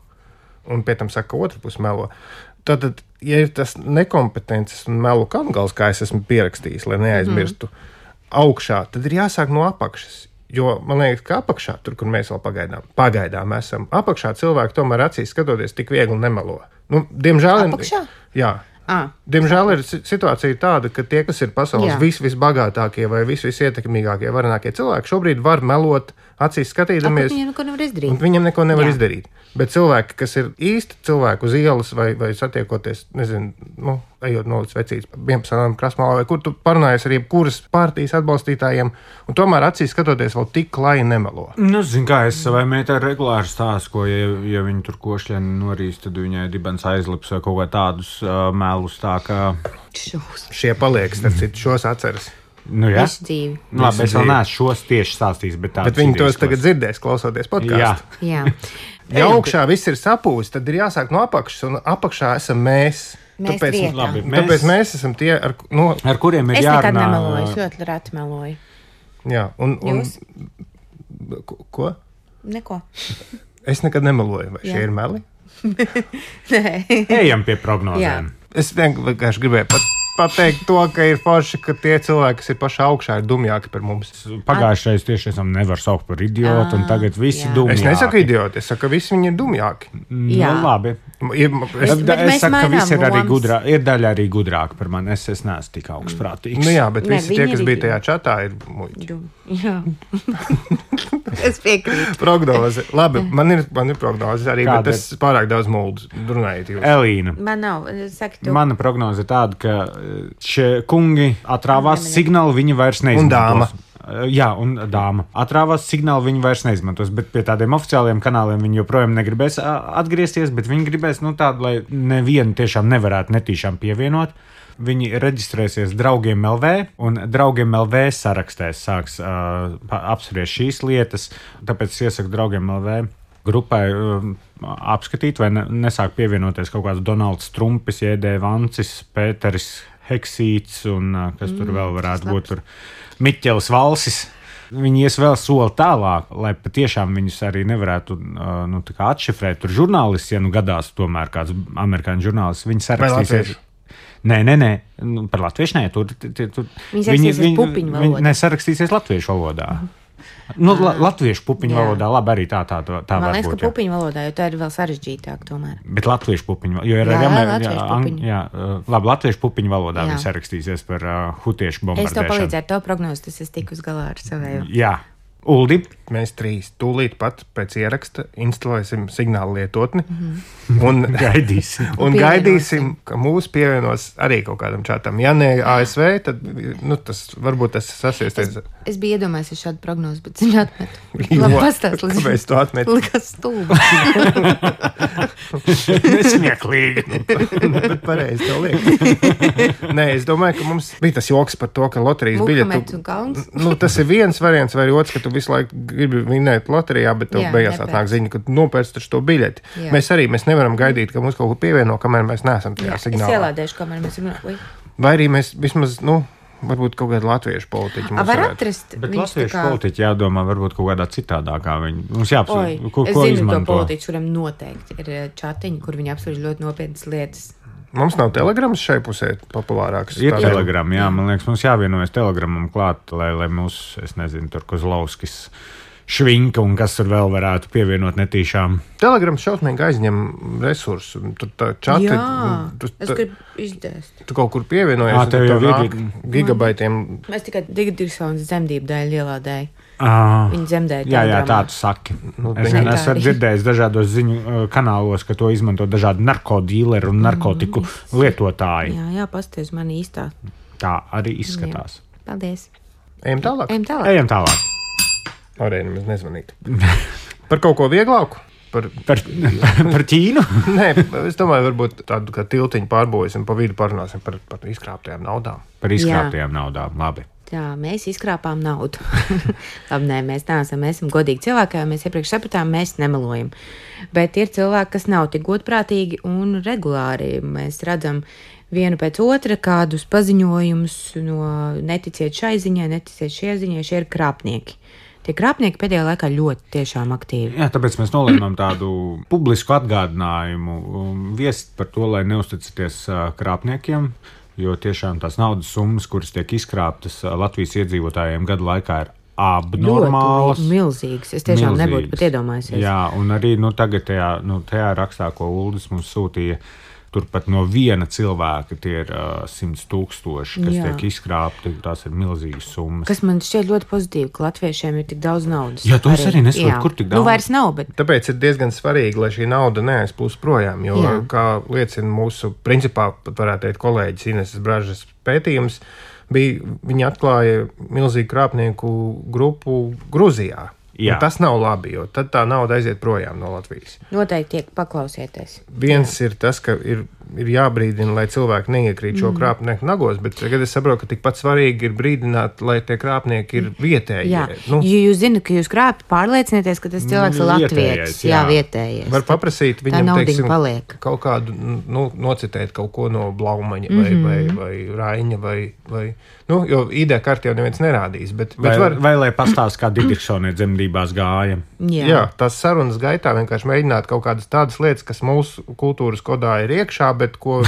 un pēc tam saka, ka otra puse melo. Tad, ja ir tas nekompetences un melu kalngals, kā es esmu pierakstījis, lai neaizmirstu augšā, tad ir jāsāk no apakšas. Jo man liekas, ka apakšā, tur, kur mēs vēl pagaidām esam, apakšā cilvēki tomēr acīs skatoties tik viegli nemelo. Diemžēl... Apakšā? Jā. Diemžēl ir situācija tāda, ka tie, kas ir pasaules visbagātākie vai visietekmīgākie, varenākie cilvēki, šobrīd var melot acīs skatīdamies. Viņam neko nevar izdarīt. Bet cilvēki, kas ir īsti cilvēki uz ielas vai satiekoties, nezinu, ejot no līdz vecītes 11. krasmalā, vai kur tu parunājies ar jebkuras partijas atbalstītājiem, un tomēr acīs skatoties vēl tik, lai nemelo. Kā es savai meitai regulāri stāstu, ko, ja viņi tur košļieni norīs, tad viņai dibens aizlips vai kaut kā tādus melus tā, ka... Šie paliek, starp citu, šos atceras. Visu dzīvi. Labi, es vēl neesmu šos tieši stāstījis, bet viņi tos tagad dzirdēs, klausoties podcastu. Jā. Ja augšā viss ir sapūs, tad ir jāsāk no apakšas, un apakšā esam mēs. Tāpēc mēs esam tie, ar kuriem ir jārunā. Es nekad nemeloju, es ļoti reti meloju. Jā, Jūs? Ko? Neko. Es nekad nemeloju, vai šie ir meli? Nē. Ejam pie prognozēm. Es vienkārši gribēju pateikt to, ka ir forši, ka tie cilvēki, kas ir pašā augšā, ir dumjāki par mums. Pagājušais tieši esam nevar saukt par idiotu, un tagad visi dumjāki. Es nesaku idioti, es saku, ka visi viņi ir dumjāki. Nu, labi. Es saku, ka visi ir arī gudrāki. Ir daļa arī gudrāka par mani. Es neesmu tik augstprātīgs. Nu jā, bet visi tie, kas bija tajā čatā, ir muļķi. Jā. Es piekrītu. Prognoze. Labi, man ir prognoze arī, bet es pārāk daudz muldu runājiet jūs. Elīna. Man nav. Saki tu. Mana prognoze ir tāda, ka šie kungi atrāvās signālu, viņi vairs neizmantos. Un dāma. Jā, un dāma. Atrāvās signālu, viņi vairs neizmantos, bet pie tādiem oficiāliem kanāliem viņi joprojām negribēs atgriezties, bet viņi gribēs, tādu, lai nevienu tiešām nevarētu netīšām pievienot. Viņi reģistrēsies Draugiem LV, un Draugiem LV sarakstēs sāks apspriest šīs lietas, tāpēc es iesaku Draugiem LV grupai apskatīt, vai nesāk pievienoties kaut kāds Donalds Trumpis, J.D. Vancis, Pēteris Heksīts un kas tur vēl varētu būt tur. Miķels Valsis. Viņi ies vēl soli tālāk, lai patiešām viņus arī nevarētu atšifrēt. Tur žurnālisti, ja gadās tomēr kāds amerikāņu žurnālists, viņi sarakstīsies. Nē, par latviešu nē. Viņi pupiņu valodā. Viņi sarakstīsies latviešu valodā. Latviešu pupiņu valodā, labi, arī tā var būt. Man liekas, ka pupiņu valodā, jo tā ir vēl sarežģītāk tomēr. Bet latviešu pupiņu, jo ir labi, latviešu pupiņu valodā viņi sarakstīsies par hutiešu bombardēšanu. Es to palīdzēju, to prognozi, tas es tiku uz galā ar savēju. Jā. Uldi. Mēs trīs tūlīt pat pēc ieraksta instalēsim signālu lietotni un gaidīsim, ka mūs pievienos arī kaut kādam čatam. Ja ne ASV, tad varbūt tas sasiesties. Es biju iedomājies šādu prognozi, bet zinu atmetu. Labi, pastāst, kāpēc tu atmeti? Likas stulbi. Nesmieklīgi. Bet pareizi tev liek. Nē, es domāju, ka mums bija tas joks par to, ka loterijas biļetu. Tas ir viens variants vai otrs, ka tu visu laiku gribi vinēt loterijā, bet tev beigās atnāk ziņa, ka tu nopērci taču to biļeti. Jā. Mēs nevaram gaidīt, ka mums kaut ko pievieno, kamēr mēs neesam tajā signālā. Es ielādēšu, kamēr mēs runājam. Vai arī mēs vismaz, varbūt kaut kādu latviešu politiķu mums var atrast. Bet latviešu politiķi jādomā varbūt kaut kādā citādākā. Mums jāapsver, ko izmanto. Es zinu to izmanto. politiķu, kuram noteikti ir čatiņi, kur viņi apsver ļoti nopietnas lietas. Mums nav telegrams šai pusē populārāks. Ir telegram, jā. Man liekas, mums jāvienojas telegramam klāt, lai mūs, es nezinu, tur Kozlovskis, Švinka un kas tur vēl varētu pievienot netīšām. Telegrams šausmīgi aizņem resursu. Tur tā čati. Es gribu izdēst. Tu kaut kur pievienojies. Tev jau ir gigabaitiem. Mēs tikai Digitrisons zemdību dēļ ielādēju. Viņi zemdēja. Jā, tā tu saki. Es esmu dzirdējis dažādos ziņu kanālos, ka to izmanto dažādi narkodīleri un narkotiku lietotāji. Jā, pasties man īstā. Tā arī izskatās. Jā. Paldies. Ejam tālāk. Ejam tālāk. Arēni mēs nezvanīt. Par kaut ko vieglāku? Par Ķīnu? Nē, es domāju, varbūt tādu kā tiltiņu pārbūvēsim, pa vidu parunāsim par izkrāptajām naudām. Par izkrāptajām naudām, labi. Jā, mēs izkrāpām naudu. Labi, nē, mēs neesam godīgi cilvēki, mēs iepriekš sapratām, mēs nemelojam. Bet ir cilvēki, kas nav tik godprātīgi un regulāri. Mēs redzam vienu pēc otra kādus paziņojumus no neticiet šai ziņai, neticiet šie ziņai, šie ir krāpnieki. Tie krāpnieki pēdējā laikā ļoti tiešām aktīvi. Jā, tāpēc mēs nolēmām tādu publisku atgādinājumu viest par to, lai neuzticaties krāpniekiem, jo tiešām tās naudas summas, kuras tiek izkrāptas Latvijas iedzīvotājiem gadu laikā, ir abnormālas. Ļoti milzīgas. Es tiešām nebūtu pat iedomājusies. Jā, un arī tagad tajā rakstā, ko Uldis mums sūtīja, turpat no viena cilvēka tie ir 100,000, kas tiek izkrāpti. Tās ir milzīgas summas. Kas man šķiet ļoti pozitīvi, ka latviešiem ir tik daudz naudas. Jā, to es arī nesaprotu, kur tik daudz. Vairs nav, bet... Tāpēc ir diezgan svarīgi, lai šī nauda neaizplūst projām, jo, kā liecina mūsu, principā, pat varētu teikt, kolēģis Ineses Bražas pētījums, viņi atklāja milzīgu krāpnieku grupu Gruzijā. Tas nav labi, jo tad tā nauda aiziet projām no Latvijas. Noteikti paklausieties. Viens ir tas, ka ir jābrīdina, lai cilvēki neiekrīt šo krāpnieku nagos, bet tagad es saprotu, ka tikpat svarīgi ir brīdināt, lai tie krāpnieki ir vietēji. Jā, jo jūs zināt, ka jūs krāpjat, pārliecinieties, ka tas cilvēks ir latvietis. Jā, vietējais. Var paprasīt viņam, teiksim, kaut kādu, nocitēt kaut ko no Blaumaņa vai Raiņa vai jo ID karti jau neviens nerādīs. Vai lai pastāst, kā Digitrisonē dzemdībās gāja. Jā, tās sarunas gaitā vienkārši mēģināt kaut kādas tādas lietas, kas mūsu kultūras kodā ir iekšā, bet ko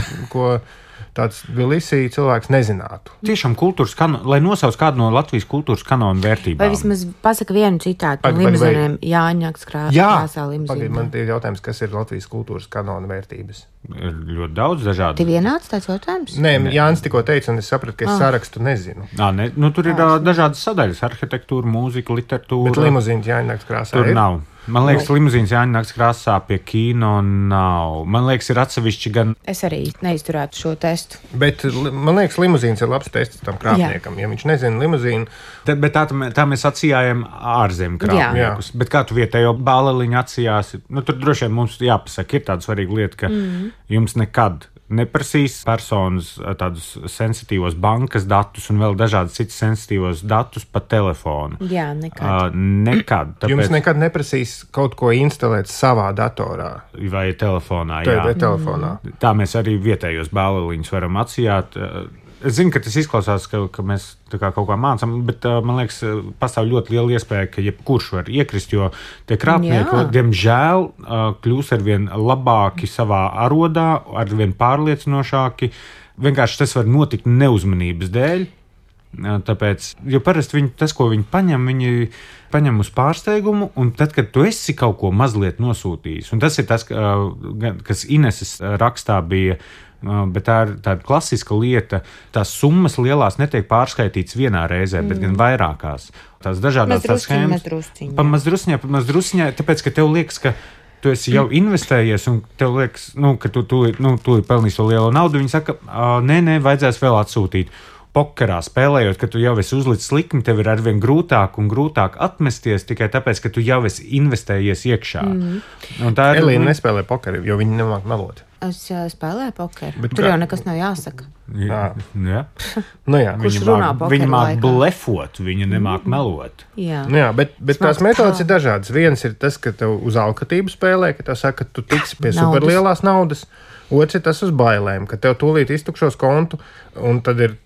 tāds Tbilisī cilvēks nezinātu. Tiešām kultūras kanonu, lai nosauc kādu no Latvijas kultūras kanonu vērtībām. Vai vismaz pasaka vienu citātu no limuzīniem Jāņakas krāsā limuzīniem. Man ir jautājums, kas ir Latvijas kultūras kanonu vērtības? Ir ļoti daudz dažādu. Tev vienāds tāds jautājums? Nē, Jānis tikko teica, un es sapratu, ka es sarakstu nezinu. Tur ir dažādas sadaļas - arhitektūra, mūzika, literatūra. Bet limuzīns Jāņakas krāsā tur ir? Nav. Man liekas, limuzīns Jāņakas krāsā pie kino nav. Man liekas, ir atsevišķi gan. Es arī neizturētu šo testu. Bet man liekas, limuzīns ir labs tests tam krāpniekam. Ja viņš nezina limuzīnu. Bet tā mēs atsījājam ārzemju krāpniekus. Bet kā tu vietējo bāleliņu atsījāsi? Tur droši vien mums jāpasaka, ir tāda svarīga lieta, ka jums nekad neprasīs personas tādus sensitīvos bankas datus un vēl dažādus citus sensitīvos datus pa telefonu. Jā, nekad. Nekad. Tāpēc... Jums nekad neprasīs kaut ko instalēt savā datorā. Vai telefonā, jā. Telefonā. Tā mēs arī vietējos bāleliņus varam atsījāt. Es zinu, ka tas izklausās, ka mēs kaut kā mācām, bet man liekas, pastāv ļoti liela iespēja, ka jebkurš var iekrist, jo tie krāpnieki, diemžēl, kļūs arvien labāki savā arodā, arvien pārliecinošāki. Vienkārši tas var notikt neuzmanības dēļ. Tāpēc, jo parasti tas, ko viņi paņem uz pārsteigumu, un tad, kad tu esi kaut ko mazliet nosūtījis, un tas ir tas, kas Ineses rakstā bija. Bet tā ir tāda klasiska lieta. Tās summas lielās netiek pārskaitītas vienā reizē, bet gan vairākās. Tās dažādas schēmas. Mazdrusciņā, tāpēc, ka tev liekas, ka tu esi jau investējies, un tev liekas, ka tu ir pelnījis to lielo naudu. Viņi saka, nē, vajadzēs vēl atsūtīt. Pokerā spēlējot, ka tu jau esi uzlicis likmi, tev ir arvien grūtāk un grūtāk atmesties tikai tāpēc, ka tu jau esi investējies iekšā. Elīna nespēlē pokeru, jo viņa nemāk melot. Es spēlēju pokeru. Tur jau nekas nav jāsaka. Jā. Viņa māk blefot, viņa nemāk melot. Jā, bet tās metodas ir dažādas. Viens ir tas, ka tev uz alkatību spēlē, ka tev saka, ka tu tiksi pie superlielās naudas. Otrs ir tas uz bailēm, ka tev tūlīt iztukšos kontu, un tad ir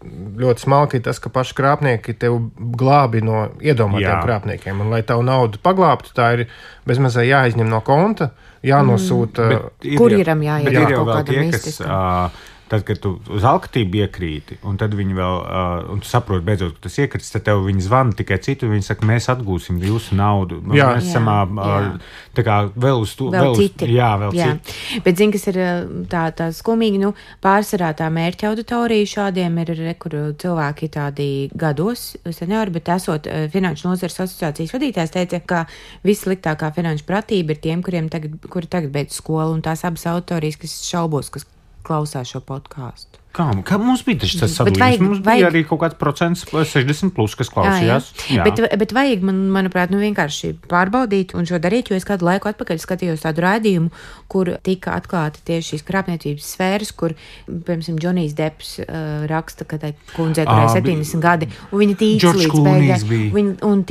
ļoti smalki tas, ka paši krāpnieki tev glābi no iedomātiem krāpniekiem. Un, lai tavu naudu paglābtu, tā ir bezmazai jāizņem no konta, jānosūta. Kurjeram jāiet kaut kādam mististam. Tad, kad tu uz alkatību iekrīti, un tad viņi vēl, un tu saproti beidzot, ka tas iekrits, tad tev viņi zvana tikai citu, viņi saka, mēs atgūsim jūsu naudu. Mēs esam tā kā vēl uz to. Vēl citi. Vēl citi. Bet zini, kas ir tā skumīgi, pārsvarā tā mērķa auditorija šādiem ir, kur cilvēki tādi gados, seniori, bet esot Finanšu nozares asociācijas vadītājs teica, ka vissliktākā finanšu pratība ir tiem, kuri tagad beidz skolu, un tās abas auditorijas, kas šaubos, kas klausās šo podkāstu. Kā mums bija tas sadalījums? Mums bija arī kaut kāds procents 60+, kas klausījās. Jā. Bet vajag, manuprāt, vienkārši pārbaudīt un šo darīt, jo es kādu laiku atpakaļ skatījos tādu raidījumu, kur tika atklāti tieši šīs krāpniecības sfēras, kur, piemēram, Džonijs Depps raksta, ka tai kundzei turēja 70 gadi, un viņa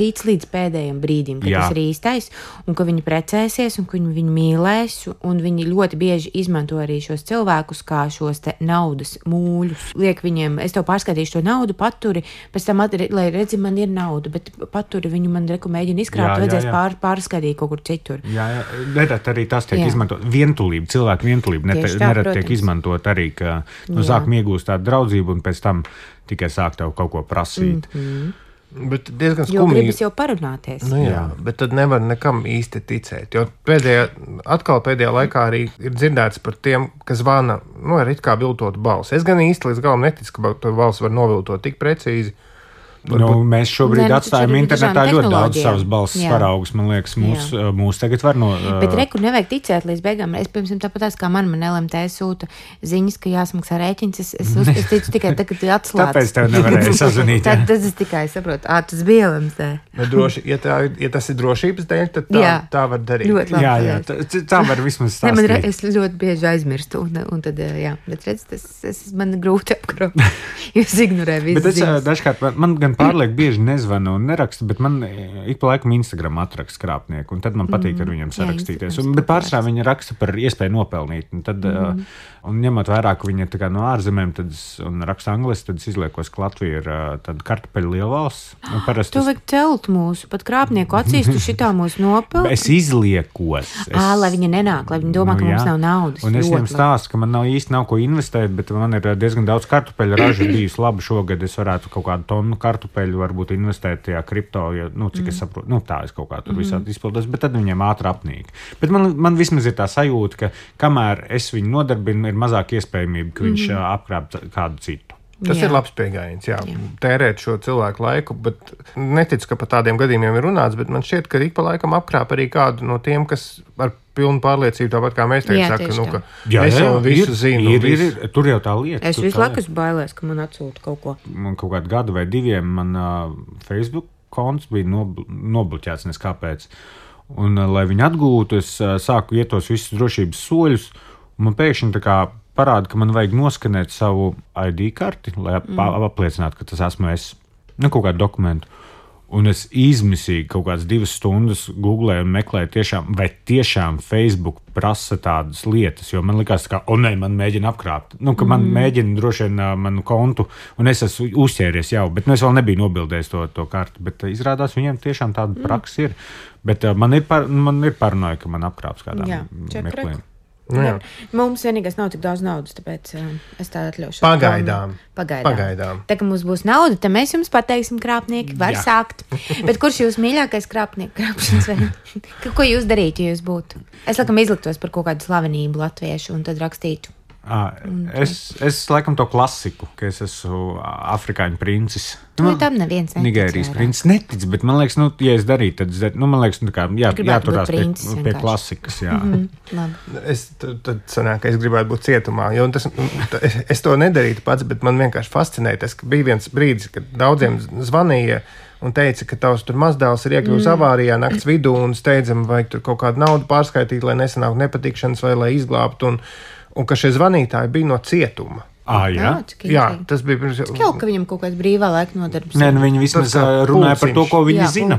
tic līdz pēdējiem brīdim, ka tas ir īstais, un ka viņi precēsies, un ka viņi mīlēs, un viņi ļoti bieži izmanto arī šos cilvēkus kā šos te naudas mūļus. Liek viņiem, es tev pārskaitīšu to naudu, paturi, pēc tam, lai redzi, man ir nauda, bet paturi viņu man mēģina izkrāpt, vajadzēs pārskaitīt kaut kur citur. Jā, nerad arī tas tiek izmantot. Vientulība, cilvēku vientulība nerad tiek izmantot arī, ka sākam iegūst tādu draudzību un pēc tam tikai sāk tev kaut ko prasīt. Bet diezgan skumīgi. Jo gribas jau parunāties. Bet tad nevar nekam īsti ticēt. Jo pēdējā laikā arī ir dzirdēts par tiem, kas zvana ar it kā viltotu balsi. Es gan īsti līdz galam neticu, ka to balsi var noviltot tik precīzi. Mēs šobrīd atstājam internetā ļoti daudz savas balss paraugus. Man liekas, mūs tagad var Bet rekur nevajag ticēt līdz beigām. Es, piemēram, tāpat kā man LMT sūta ziņas, ka jāsamaksā rēķins. Es ticu tikai tagad, kad atslēdz. Tāpēc tev nevarēja sazvanīt. Tad es tikai saprotu, tas bija LMT. Ja tas ir drošības dēļ, tad tā var darīt. Jā, tā var vismaz stāstīt. Es ļoti bieži aizmirstu. Un tad, bet redz, man grūti apkrot. Jūs ignorē visas ziņas. Bet dažkārt man gan pārlieku bieži nezvanu un nerakstu, bet man ik pa laikam Instagram atraksta krāpnieku, un tad man patīk ar viņiem sarakstīties. Bet pārsvarā viņi raksta par iespēju nopelnīt. Un tad Un ņemot vērā, ka viņi ir tā kā no ārzemēm un raksta angliski, tad es izliekos, ka Latvija ir tāda kartupeļu lielvalsts. Tu vajag celt mūsu, pat krāpnieku acīs, tu šitā mūs nopelni. Es izliekos. Lai viņi nenāk, lai viņi domā, ka mums nav naudas. Un es viņiem stāstu, ka man nav ko investēt, bet man ir diezgan daudz kartupeļu ražu bijusi labi šogad. Es varētu kaut kādu tonu kartupeļu varbūt investēt tajā kripto, ja, cik es saprotu, tā es kaut kā tur visādi izpildos, bet tad viņiem ātri apnīk. Bet man vismaz ir tā sajūta, ka kamēr es viņu nodarbinu, ir mazāk iespējamība, ka viņš apkrāp kādu citu. Tas ir labs pieejams, tērēt šo cilvēku laiku, bet neticu, ka par tādiem gadījumiem ir runāts, bet man šķiet, ka ik pa laikam apkrāp arī kādu no tiem, kas ar pilnu pārliecību, tāpat kā mēs teikt, saka, ka es jau visu zinu. Tur jau tā lieta. Es visu laiku bailēs, ka man atsūta kaut ko. Man kaut kādu gadu vai diviem man Facebook konts bija nobloķēts, nes kāpēc. Un, lai viņi atgūtu, es sāku iet tos visus drošības soļus, un man pēkšņi tā kā parāda, ka man vajag noskanēt savu ID karti, lai apliecinātu, ka tas esmu es. Kaut kādu dokumentu. Un es izmisīgi kaut kādas 2 stundas googlēju un meklēju vai tiešām Facebook prasa tādas lietas, jo man likās, ka, man mēģina apkrāpt. Ka man mēģina droši vien manu kontu, un es esmu uzķēries jau, bet es vēl nebiju nobildējis to karti. Bet izrādās, viņiem tiešām tāda praksa ir. Bet man ir paranoja, ka man apkrāps kādām meklējumiem. Mums vienīgais nav tik daudz naudas, tāpēc es tā atļaušu. Pagaidām. Tā, ka mums būs nauda, tad mēs jums pateiksim, krāpnieki var sākt. Bet kurš jūs mīļākais krāpnieku krāpšanas veids? Ko jūs darītu, ja jūs būtu? Es laikam izliktos par kaut kādu slavenību latviešu un tad rakstītu. Es laikam to klasiku, ka es esmu afrikāņu princis. Tam neviens netic. Nigērijas princis netic, bet man liekas, ja es darītu, tad man liekas, jāturās pie klasikas. Tad sanāk, ka es gribētu būt cietumā, jo es to nedarītu pats, bet man vienkārši fascinēja tas, ka bija viens brīdis, kad daudziem zvanīja un teica, ka tavs tur mazdēls ir iekļuvis avārijā nakts vidū un steidzami vajag tur kaut kādu naudu pārskaitīt, lai nesanāk nepatikšanas vai lai izglābtu. Un ka šie zvanītāji bija no cietuma. Jā, tas bija pirms. Cik jau, ka viņam kaut kāds brīvā laika nodarbs. Nē, viņi vismaz runāja par to, ko viņi zina.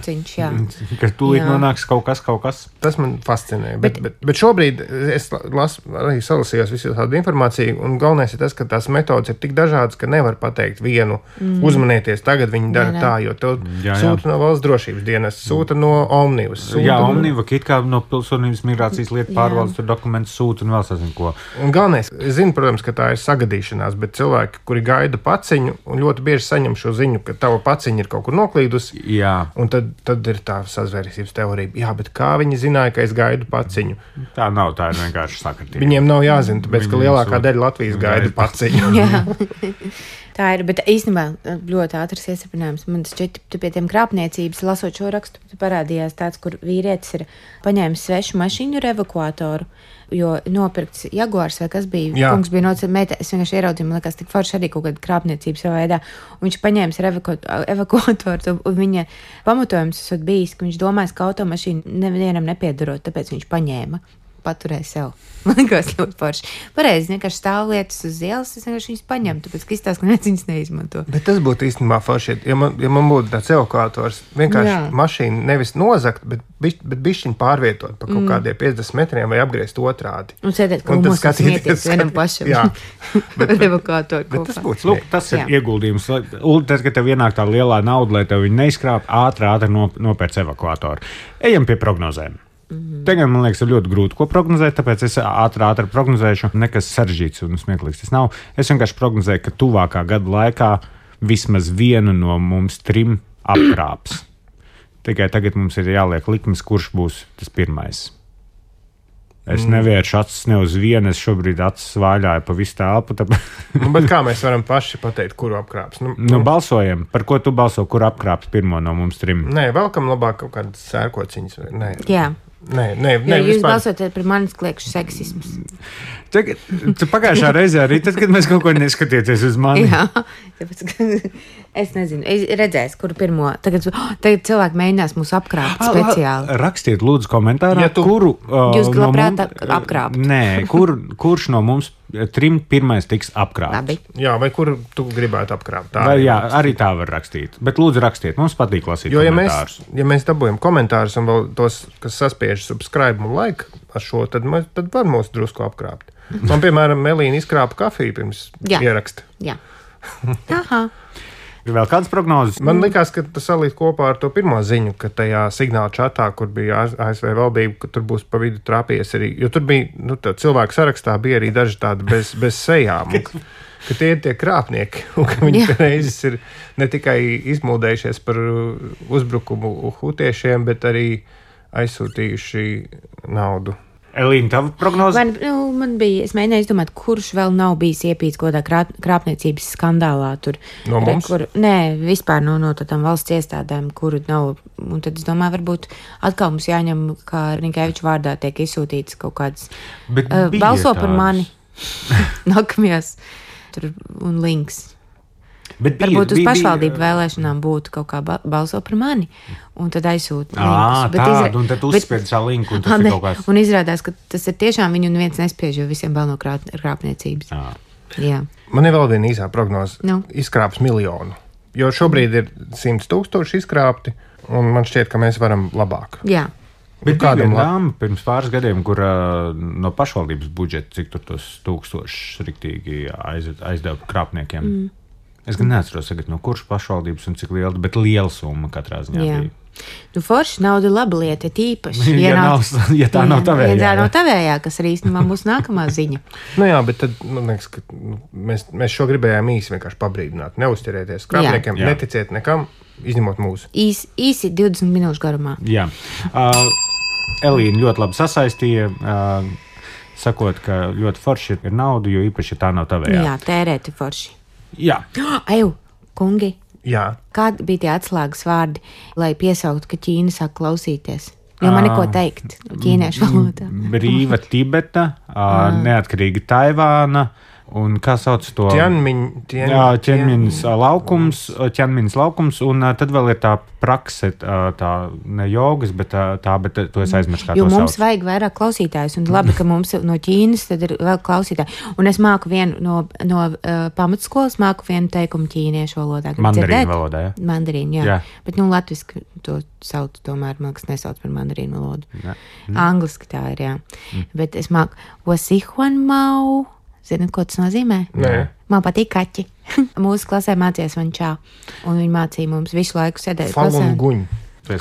Ka tūlīt nonāks kaut kas. Tas man fascinē. Bet šobrīd es arī salasījos visu tādu informāciju, un galvenais ir tas, ka tās metodas ir tik dažādas, ka nevar pateikt vienu uzmanieties, tagad viņi dara tā, jo to sūta no valsts drošības dienas, sūta no Omnivas. Omniva, it kā no pilsonības migrācijas lietu pārvaldes tur dokumentus sūta un vēl sazin ko. Un galvenais, es zinu, protams, ka tā ir sagadīšana. Bet cilvēki, kuri gaida paciņu, un ļoti bieži saņem šo ziņu, ka tava paciņa ir kaut kur noklīdusi. Un tad ir tā sazvērstības teorija. Jā, bet kā viņi zināja, ka es gaidu paciņu? Tā nav, tā ir vienkārši sakritība. Viņiem nav jāzina, tāpēc, ka lielākā daļa Latvijas gaida paciņu. Tā ir, bet īstenībā ļoti ātrs iesapinājums. Man šķiet, pie tiem krāpniecības, lasot šo rakstu, parādījās tāds, kur vīrietis ir paņēmis svešu mašīnu ar evakuatoru, jo nopirkts Jaguars vai kas bija. Jā. Kungs bija nocēmēta, es vienkārši ieraudzīju, man liekas, tik forši arī kaut kāda krāpniecības savā veidā. Un viņš paņēmis ar evakuatoru, un viņa pamatojums esot bijis, ka viņš domājas, ka automašīna nevienam nepiedarot, tāpēc viņš paņēma. Paturēju sev. Man liekas, ļoti forši. Pareizi, vienkārši stāv lietas uz ielas, es vienkārši viņas paņemu, tāpēc, ka izstāst, ka neviens viņas neizmanto. Bet tas būtu īstenībā forši, ja man būtu tāds evakuators, vienkārši mašīnu nevis nozakt, bet bišķiņ pārvietot pa kaut kādiem 50 metriem vai apgriezt otrādi. Un sēdēt krūmos un smieties vienam pašam. Jā. Bet evakuatoru kopā. Tas būtu smieties. Tas ir ieguldījums. Tad, kad tev ienāk tā lielā nauda, lai tev viņi neizkrāp, ātri nopērc evakuatoru. Ejam pie prognozēm. Tagad, man liekas, ir ļoti grūti ko prognozēt, tāpēc es ātri prognozēšu. Nekas sarežģīts un smieklīgs tas nav. Es vienkārši prognozēju, ka tuvākā gada laikā vismaz vienu no mums 3 apkrāps. Tikai tagad mums ir jāliek likmes, kurš būs tas pirmais. Es nevēršu acis ne uz vienu, es šobrīd acis vaļāju pa visu telpu. Bet kā mēs varam paši pateikt, kuru apkrāps? Balsojam. Par ko tu balso, kur apkrāps pirmo no mums 3? Nē, vēlkam labāk kaut kādas sērkociņas. Nē. Jā. Nē, jūs balsojat par manis kliekšu seksismus. Pagājušā reizē arī tad, kad mēs kaut ko neskatieties uz mani. Jā, tāpēc, es nezinu, es redzēšu, kuru pirmo. Tagad cilvēki mēģinās mūs apkrāpt speciāli. Rakstiet lūdzu komentārā, kuru jūs labprāt apkrāpt. Nē, kurš no mums 3 pirmais tiks apkrāpts. Labi. Jā, vai kur tu gribētu apkrāpt? Jā, arī tā var rakstīt. Bet lūdzu rakstiet, mums patīk lasīt komentārus. Ja mēs dabūjam komentārus un vēl tos, kas saspiež subscribe un like ar šo, tad var mūs drusku apkrāpt. Man, piemēram, Melīna izkrāpa kafiju pirms ieraksta. Jā. Aha. Ir vēl kādas prognozes? Man likās, ka tas salīt kopā ar to pirmo ziņu, ka tajā signāla čatā, kur bija ASV valdība, ka tur būs pa vidu trāpījies arī, jo tur bija, cilvēku sarakstā bija arī daži tādi bez sejām, ka tie ir tie krāpnieki, un ka viņi reizes ir ne tikai izmūdējušies par uzbrukumu hutiešiem, bet arī aizsūtījuši naudu. Elīna, tava prognoze? Man bija, es mēģināju izdomāt, kurš vēl nav bijis iepīts kaut kādā krāpniecības skandālā tur. No mums? Nē, vispār no tādām valsts iestādēm, kuru nav. Un tad es domāju, varbūt atkal mums jāņem, kā Rinkēviča vārdā tiek izsūtīts kaut kāds balso par mani nākamajās tur un links. Varbūt uz pašvaldību vēlēšanām būtu kaut kā balso par mani, un tad aizsūta linkus. Un tad uzspied šo linku, un tas ir kaut kāds. Un izrādās, ka tas ir tiešām viņu neviens nespiež, jo visiem bail no krāpniecības. Jā. Man ir vēl viena īsā prognoze. Izkrāps 1 miljonu, jo šobrīd ir 100 000 izkrāpti, un man šķiet, ka mēs varam labāk. Jā. Bet kādam dāma pirms pāris gadiem, kur no pašvaldības budžeta, cik tur tos 1000 riktīgi aizdeva krāpniekiem. Es gan neatceros, no kuras pašvaldības un cik liela, bet liela summa katrā ziņā bija. Forši nauda ir laba lieta, tīpaši. Ja tā nav tavējā. Ja tā nav tavējā, kas arī īstenībā būs nākamā ziņa. Jā, bet tad, man liekas, ka mēs šo gribējām īsi vienkārši pabrīdināt. Neuzķerieties krāpniekiem, neticiet nekam, izņemot mūsu. Īsi 20 minūšu garumā. Jā. Elīna ļoti labi sasaistīja, sakot, ka ļoti forši ir nauda, jo īpaši tā nav tavējā. Jā, tērēti forši. Jā. Eju, kungi. Jā. Kādi bija tie atslēgas vārdi, lai piesauktu, ka Ķīna sāk klausīties? Jo man neko teikt ķīniešu valodā. Brīva Tibeta, neatkarīga Taivāna. Un kā sauc to? Ķenmins laukums, un tad vēl ir tā prakse, tā ne jogas, bet to es aizmirsu, kā to sauc. Jo mums vajag vairāk klausītājus, un labi, ka mums no Ķīnas tad ir vēl klausītāji. Un es māku vienu no pamatskolas, māku vienu teikumu ķīniešu valodā. Mandarīnu valodā, jā? Mandarīnu, jā. Bet, latviski to sauc tomēr, man kas nesauc par mandarīnu valodu. Angliski tā ir, jā. Bet es māku Wasihuanmau. Zini, ko tas nozīmē? Nē. Man patīk kaķi. Mūsu klasē mācījās man čā, un viņi mācīja mums visu laiku sēdēt klasē. Falun guņ.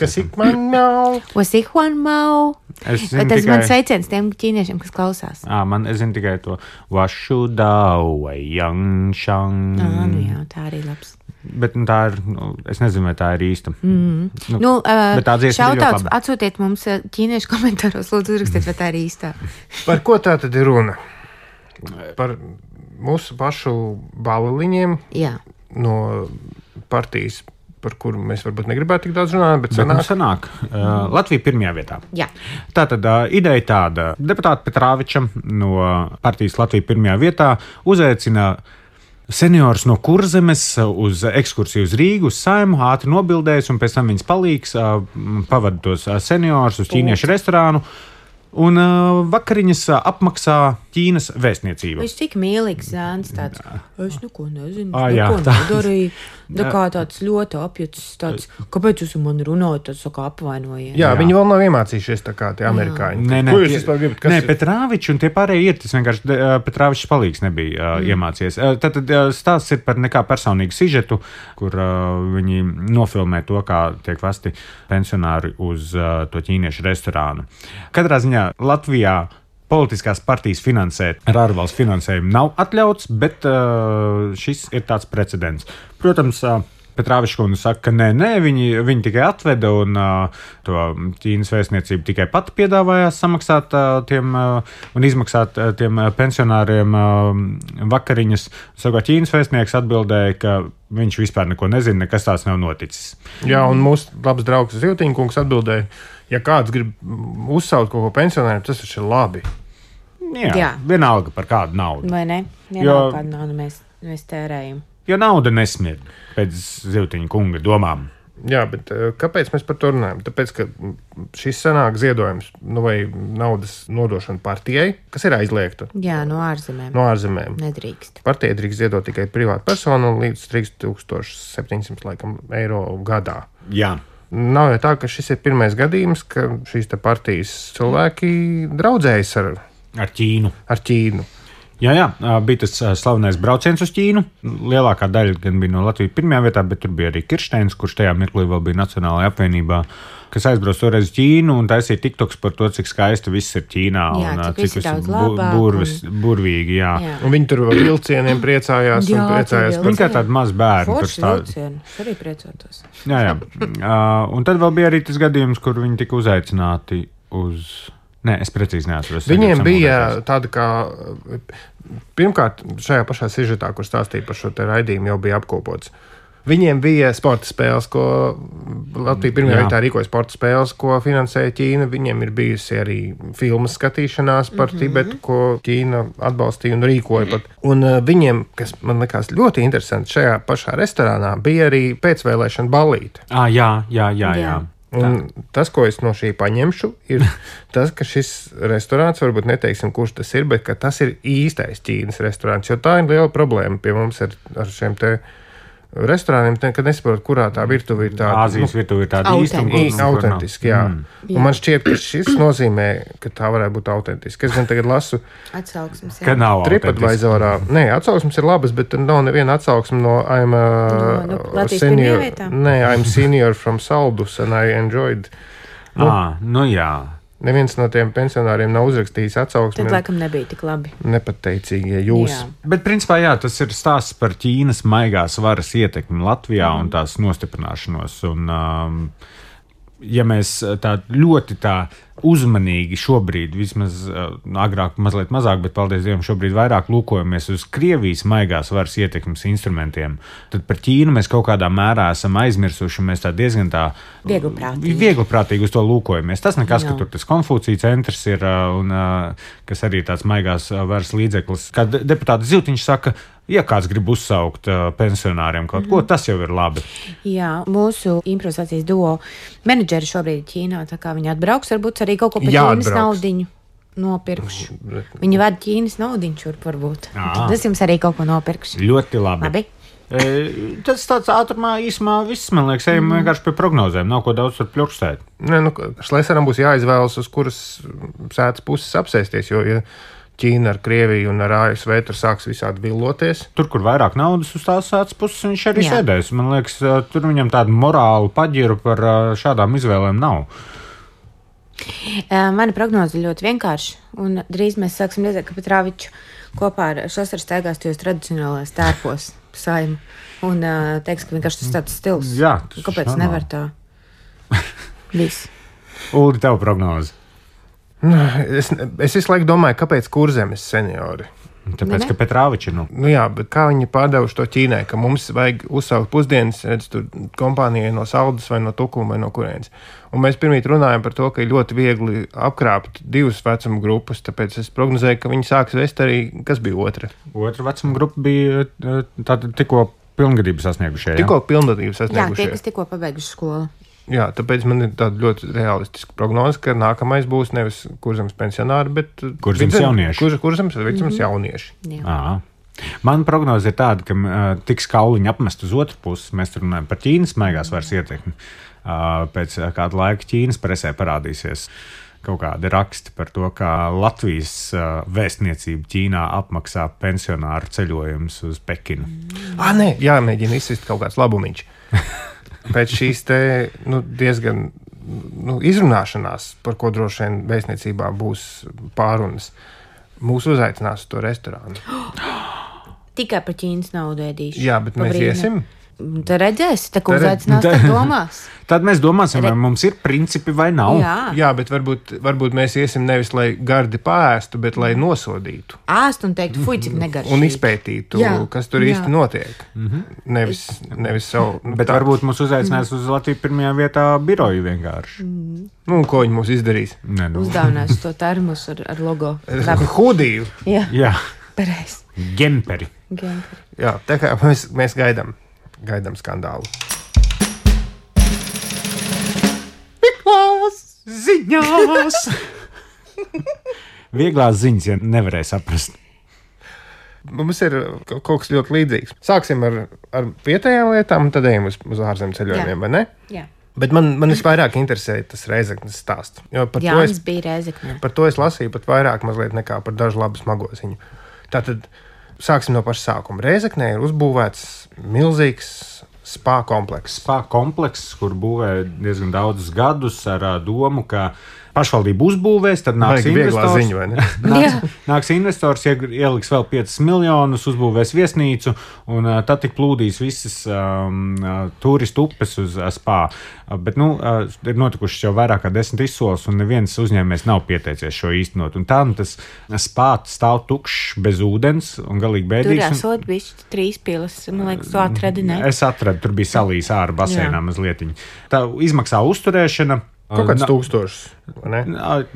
Kas ik man mau? Wasihuan mau. Tas ir mans sveiciens tiem ķīniešiem, kas klausās. Es zinu tikai to Washu dao vai yang shang. Jā, tā arī labs. Bet tā ir, es nezinu, vai tā ir īsta. Bet tā dziesma ir ļoti laba. Atsūtiet mums ķīniešu komentāros, lūdzu uzrakstiet, vai tā ir īstā. Par ko tā tad ir runa? Par mūsu pašu baleliņiem no partijas, par kuru mēs varbūt negribētu tik daudz runāt, bet sanāk. Latvija pirmajā vietā. Jā. Tātad ideja tāda. Deputāta Petrāviča no partijas Latvija pirmajā vietā uzaicina seniors no Kurzemes uz ekskursiju uz Rīgu, uz Saimu, ātri nobildēs, un pēc tam viņas palīgs pavada tos seniors uz ķīniešu restorānu. Un vakariņas apmaksā Ķīnas vēstniecība. Viņš tik mīlīgs zēns tāds. Es neko nezinu, neko nedarīju. Kā tāds ļoti apjucis tāds, kāpēc jūs man runājat, tāds saka apvainojiet. Jā, viņi vēl nav iemācījušies tā kā tie amerikāņi. Ko jūs vispār gribat? Nē, Petrāvičs un tie pārējie ir, tas vienkārši Petrāvičs palīgs nebija iemācījies. Tātad stāsts ir par nekā personīgu sižetu, kur viņi nofilmē to, kā tiek vesti pensionāri uz to ķīniešu restorānu. Katrā ziņā Latvijā politiskās partijas finansēt ar ārvalstu finansējumu nav atļauts, bet šis ir tāds precedents. Protams, Petrāvičs kundze saka, ka nē, viņi tikai atveda un to Ķīnas vēstniecība tikai pati piedāvājās samaksāt un izmaksāt tiem pensionāriem vakariņas. Savukārt Ķīnas vēstnieks atbildēja, ka viņš vispār neko nezina, nekas tāds nav noticis. Jā, un mūsu labs draugs Ziltiņkungs atbildēja, ja kāds grib uzsaukt kaut ko pensionāriem, tas taču ir labi. Jā, vienalga par kādu naudu. Vai ne? Vienalga kādu naudu mēs tērējam. Jo nauda nesmird pēc Ziltiņa kunga domām. Jā, bet kāpēc mēs par to runājam? Tāpēc, ka šis sanāk ziedojums vai naudas nodošana partijai, kas ir aizliegta. Jā, no ārzemēm. No ārzemēm. Nedrīkst. Partija drīkst ziedot tikai privāta persona līdz 3700 eiro gadā. Jā. Nav jau tā, ka šis ir pirmais gadījums, ka šīs partijas cilvēki draudzējas ar Ķīnu. Ar Ķīnu. Jā, bija tas slavenais brauciens uz Ķīnu. Lielākā daļa gan bija no Latvijas pirmajā vietā, bet tur bija arī Kirsteins, kurš tajā mirklī vēl bija Nacionālajā apvienībā, kas aizbrauc toreiz uz Ķīnu un taisīja TikToks par to, cik skaisti viss ir Ķīnā. Jā, un cik viss burvīgi, jā. Un viņi tur vēl vilcieniem priecājās un priecājās Viņi kā tādi maz bērni. Forši vilcieni, es arī priecātos. Jā. Un tad vēl bija arī tas gadījums, kur viņi tika uzaicināti uz... Nē, es precīzi neatceros. Viņiem bija tāda kā... Pirmkārt, šajā pašā sižetā, kur stāstīja par šo te raidījumu, jau bija apkopots. Viņiem bija sporta spēles, ko Latvija pirmajā vietā rīkoja sporta spēles, ko finansēja Ķīna. Viņiem ir bijusi arī filmas skatīšanās par Tibetu, ko Ķīna atbalstīja un rīkoja pat. Un viņiem, kas man likās ļoti interesanti, šajā pašā restorānā bija arī pēcvēlēšana ballīte. Jā. Un tas, ko es no šī paņemšu, ir tas, ka šis restorāns, varbūt neteiksim, kurš tas ir, bet ka tas ir īstais Ķīnas restorāns, jo tā ir liela problēma pie mums ar šiem te restorāniem, kad nesaprot, kurā tā virtuve ir tāda. Āzijas virtuve ir tāda autentiski, jā. Un man šķiet, ka šis nozīmē, ka tā varētu būt autentiski. Es gan tagad lasu atsauksmes, ka nav TripAdvisorā. Nē, atsauksmes ir labas, bet nav neviena atsauksme no I'm senior from Saldus and I enjoyed. Jā. Neviens no tiem pensionāriem nav uzrakstījis atsauksmi. Tad laikam nebija tik labi. Nepateicīgie jūs. Jā. Bet principā tas ir stāsts par Ķīnas maigās varas ietekmi Latvijā un tās nostiprināšanos. Un, ja mēs tā ļoti uzmanīgi šobrīd, vismaz agrāk mazliet mazāk, bet paldies Dievam šobrīd vairāk lūkojamies uz Krievijas maigās varas ietekmes instrumentiem, tad par Ķīnu mēs kaut kādā mērā esam aizmirsuši, un mēs tā diezgan viegliprātīgi uz to lūkojamies. Tas nekas, ka tur tas Konfūcija centrs ir, un kas arī tāds maigās varas līdzeklis. Kad deputāts Ziltiņš saka, ja kāds grib uzsaukt pensionāriem kaut ko, tas jau ir labi. Jā, mūsu improvizācijas duo menedžeri šobrīd Ķīnā, tā kā viņi atbrauks, varbūt arī kaut ko par Ķīnas naudiņu nopirkšu. Viņi vada Ķīnas naudiņu šurp varbūt. Tad es jums arī kaut ko nopirkšu. Ļoti labi. Tas tāds ātrumā īsumā viss, man liekas, ejam vienkārši pie prognozēm. Nav ko daudz tur pļurkstēt. Šlesaram būs jāizvēlas, uz kuras sētas puses apsēsties, jo Ķīna ar Krieviju un ar ASV tur sāks visādi villoties. Tur, kur vairāk naudas uz tās sētas puses, viņš arī sēdēs. Man liekas, tur viņam tādu morālu paģiru par šādām izvēlēm nav. Mana prognoze ļoti vienkārši, un drīz mēs sāksim redzēt, ka Petrāviču kopā ar Šosaru staigās tajos tradicionālajos tērpos Saimu, un teiks, ka vienkārši tas tāds stils. Jā, kāpēc nevar tā? Viss. Uldi, tev prognoze. Es visu laiku domāju, kāpēc Kurzemes seniori? Tāpēc, ka Petrāviči jā, bet kā viņi pārdevuši to Ķīnai, ka mums vajag uzsaukt pusdienas, redz, tur kompānijai no Saldus vai no Tukuma vai no kurienes. Un mēs pirmīt runājam par to, ka ir ļoti viegli apkrāpt divas vecuma grupas, tāpēc es prognozēju, ka viņi sāks vest arī, kas bija otra? Otra vecuma grupa bija tātad tikko pilngadību sasniegušie. Tikko pilngadību sasniegušie. Jā, tie, kas tikko pabeiguši skolu. Jā, tāpēc man ir tāda ļoti realistiska prognoze, ka nākamais būs nevis Kurzemes pensionāri, bet Kurzemes jaunieši. Kurzemes vai Vidzemes jaunieši. Man prognoze ir tāda, ka tiks kauliņi apmest uz otru pusi. Mēs tur runājam par Ķīnas maigās varas ietekmi. Pēc kāda laika Ķīnas presē parādīsies kaut kādi raksti par to, kā Latvijas vēstniecība Ķīnā apmaksā pensionāru ceļojumus uz Pekinu. Nē, jāmēģina izsist kaut kāds labumiņš. Pēc šīs te diezgan izrunāšanās, par ko droši vien vēstniecībā būs pārunas, mūs uzaicinās uz to restorānu. Tikai par Ķīnas naudu ēdīšu. Jā, bet mēs iesim. Tad redzēsi, tā kā uzaicinās, tad domās. Tad mēs domāsim, vai mums ir principi vai nav. Jā, bet varbūt mēs iesim nevis, lai gardi paēstu, bet lai nosodītu. Ēst un teikt, fuj, cik negaršīgi. Un izpētītu, kas tur īsti notiek. Nevis savu. Bet varbūt mūs uzaicinās uz Latviju pirmajā vietā biroju vienkārši. Ko viņi mums izdarīs? Uzdāvinās to termus ar logo. Hudiju. Jā. Pareiz. Gemperi. Jā, tā kā mēs gaidām skandālu. Vieglās ziņās! Vieglās ziņas, ja nevarēja saprast. Mums ir kaut kas ļoti līdzīgs. Sāksim ar vietējām lietām, un tad ejam uz ārzemju ceļojumiem, vai ne? Jā. Bet man visvairāk interesē tas Rēzeknes stāsts. Jānis bija Rēzekne. Par to es lasīju pat vairāk mazliet nekā par dažu labu smago ziņu. Tātad sāksim no paša sākuma. Rēzeknē ir uzbūvēts milzīgs spā komplekss. Spā komplekss, kur būvē diezgan daudzus gadus ar domu, ka pašvaldība uzbūvēs, tad nāks investors. Ziņu, vai ne? nāks investors, ieliks vēl 5 miljonus, uzbūvēs viesnīcu, un tad tik plūdīs visas turistu upes uz spā. Bet, ir notikušas jau vairāk kā 10 izsoles, un neviens uzņēmējs nav pieteicies šo īstenot. Un tā, tas spā stāv tukšs, bez ūdens, un galīgi bēdīgs. Tur esot bišķi 3 pilas, man liekas, tu atradi, ne? Es atradu, tur bija salīs ārā basēnā mazlietiņi. Tā izmaksā uzturēšana. Kaut kāds 1000, vai ne?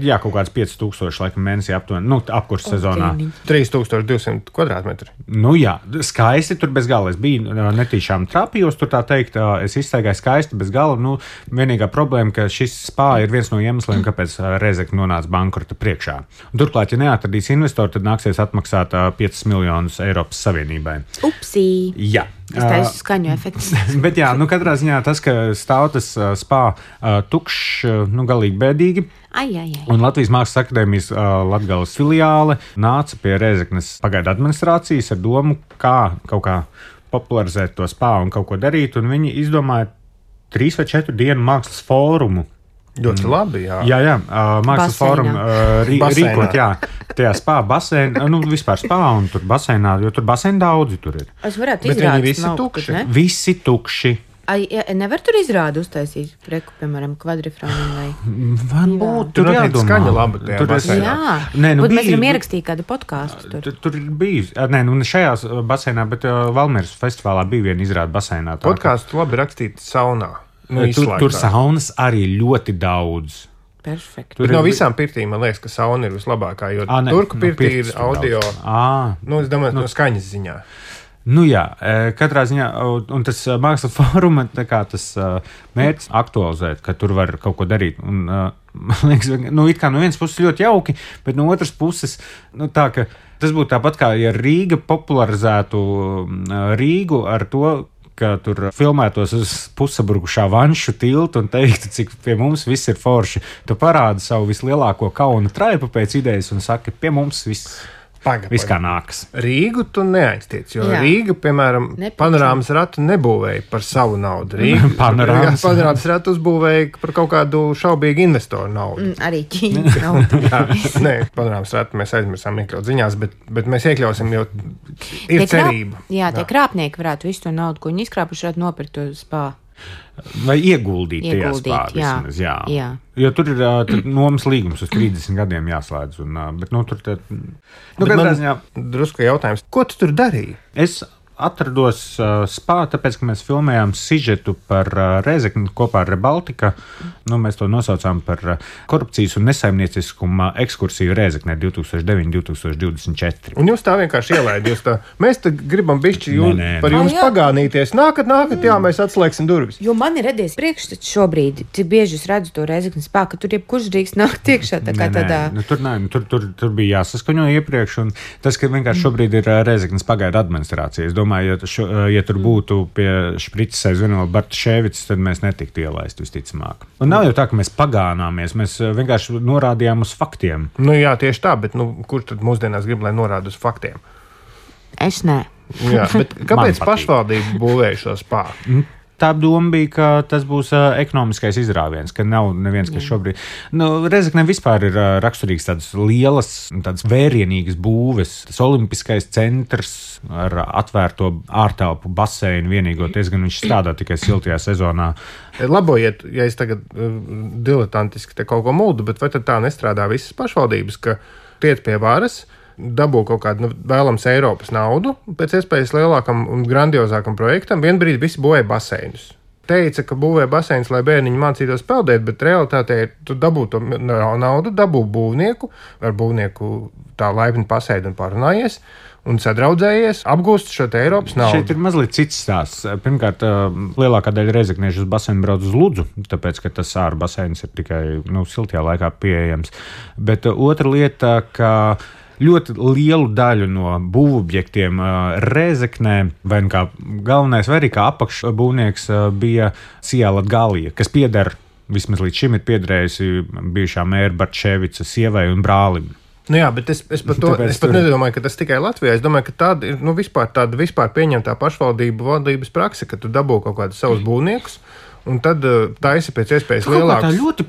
Jā, kaut kāds 5000 laikam mēnesī aptuveni, apkurss sezonā. 3200 kvadrātmetri. Jā, skaisti tur bez gala. Es biju netīšām trapījos, tur tā teikt, es izstaigāju skaisti bez gala. Vienīgā problēma, ka šis spā ir viens no iemesliem, kāpēc Rēzekne nonāca bankrota priekšā. Turklāt, ja neatradīs investoru, tad nāksies atmaksāt 5 miljonus Eiropas Savienībai. Upsī! Jā. Es taisu skaņu efekts. Bet jā, katrā ziņā tas, ka stāv tas spā tukšs, galīgi bēdīgi. Ai. Un Latvijas Mākslas akadēmijas Latgales filiāle nāca pie Rēzeknes pagaidu administrācijas ar domu, kā kaut kā popularizēt to spā un kaut ko darīt. Un viņi izdomāja 3 vai 4 dienu mākslas fórumu. Ļoti labi, jā. Jā, mākslas fórumu rīkot, jā. Tajā spā basēnā, vispār spā un tur basēnā, jo tur basēni daudzi tur ir. Es varētu izrādīt. Bet viņi visi tukši. Ne? Visi tukši. Nevar tur izrādu uztaisīt, piemēram, kvadrifrānu vai... Varbūt, tur jādomā. Skaņa laba tajā basēnā. Jā, bet mēs varam ierakstīt kādu podkāstu tur. Tur ir bijis, šajās basēnā, bet Valmieras festivālā bija viena izrāda basēnā. Podkāstu labi rakstīt saunā. Tur saunas arī ļoti daudz. Perfekt. Bet no visām pirtīm man liekas, ka sauna ir vislabākā, jo turku pirtī ir audio. Es domāju, no skaņas ziņā. Jā, katrā ziņā, un tas mākslas fóruma, tas mērķis aktualizēt, ka tur var kaut ko darīt. Un, man liekas, it kā no vienas puses ļoti jauki, bet no otras puses, tā, ka tas būtu tāpat kā, ja Rīga popularizētu Rīgu ar to, ka tur filmētos uz pussabrukušā vanšu tiltu un teiktu, cik pie mums viss ir forši. Tu parādi savu vislielāko kauna traipu pēc idejas un saki, pie mums viss kā nākas. Rīgu tu neaiztiec, jo Rīga, piemēram, panorāmas ratu nebūvēja par savu naudu. Panorāmas ratu uzbūvēja par kaut kādu šaubīgu investoru naudu. Arī Ķīnas naudu. Panorāmas ratu mēs aizmirsām iekļaut ziņās, bet mēs iekļausim, jo ir cerība. Tie krāpnieki varētu visu to naudu, ko viņi izkrāpuši, varētu nopirkt uz spā. Vai ieguldīt tajā spā vismaz, jā. Jo tur ir nomas līgums uz 30 gadiem jāslēdz. Bet tur katrā ziņā... Drusku jautājums, ko tu tur darīji? Es atrados spā, tāpēc, ka mēs filmējām sižetu par Rēzekni kopā ar Rebaltika. Mēs to nosaucām par korupcijas un nesaimnieciskuma ekskursiju Rēzeknē 2009-2024. Un jūs tā vienkārši ielaidījāt. Mēs te gribam bišķi par jums pagānīties. Nākat, jā, mēs atslēgsim durvis. Jo man ir radies priekšstats šobrīd, cik bieži es redzu to Rēzeknes spā, ka tur jebkurš drīkst nākt iekšā. Tur bija jāsaskaņo iepriekš, un tas, ka vienkārši šobrīd ir Rēzeknes pagaidu administrācija. Ja tur būtu pie šprices aizvieno Bartaševics, tad mēs netiktu ielaist visticamāk. Un nav jau tā, ka mēs pagānāmies, mēs vienkārši norādījām uz faktiem. Jā, tieši tā, bet kurš tad mūsdienās grib, lai norāda uz faktiem? Es nē. Jā, bet kāpēc pašvaldība būvēja šo spā? Tā doma bija, ka tas būs ekonomiskais izrāviens, ka nav neviens, kas šobrīd... Rēzeknē vispār ir raksturīgs tādas lielas, tādas vērienīgas būves. Tas olimpiskais centrs ar atvērto ārtelpu baseinu vienīgoties, gan viņš strādā tikai siltajā sezonā. Labojiet, ja es tagad diletantiski te kaut ko muldu, bet vai tad tā nestrādā visas pašvaldības, ka tiec pie varas, dabū kaut kādu vēlams Eiropas naudu, pēc iespējas lielākam un grandiozākam projektam, vienbrīd visi būvēja baseinus. Teica, ka būvēja baseinus, lai bērniņi mācītos peldēt, bet realitātē tu dabū to naudu, dabū būvnieku, ar būvnieku tā laipni pasēdi un parunājies, un sadraudzējies, apgūst šo te Eiropas naudu. Šeit ir mazliet cits stāsts. Pirmkārt, lielākā daļa reizekniešu uz baseinu brauc uz Ludzu, tāpēc, ka tas āra baseins ir tikai siltajā laikā pieejams. Bet otra lieta, ka ļoti lielu daļu no būvobjektiem Rēzeknē, vai kā galvenais, vai arī kā apakšbūvnieks bija Sijā Latgalija, kas pieder, vismaz līdz šim ir piederējusi bijušā mēra Bartaševica sievai un brālim. Nu jā, bet es pat nedomāju, ka tas tikai Latvijā. Es domāju, ka tāda ir vispār pieņemtā pašvaldību valdības prakse, ka tu dabū kaut kādus savus būvniekus. Un tad taisi pēc iespējas lielāks. Tā ļoti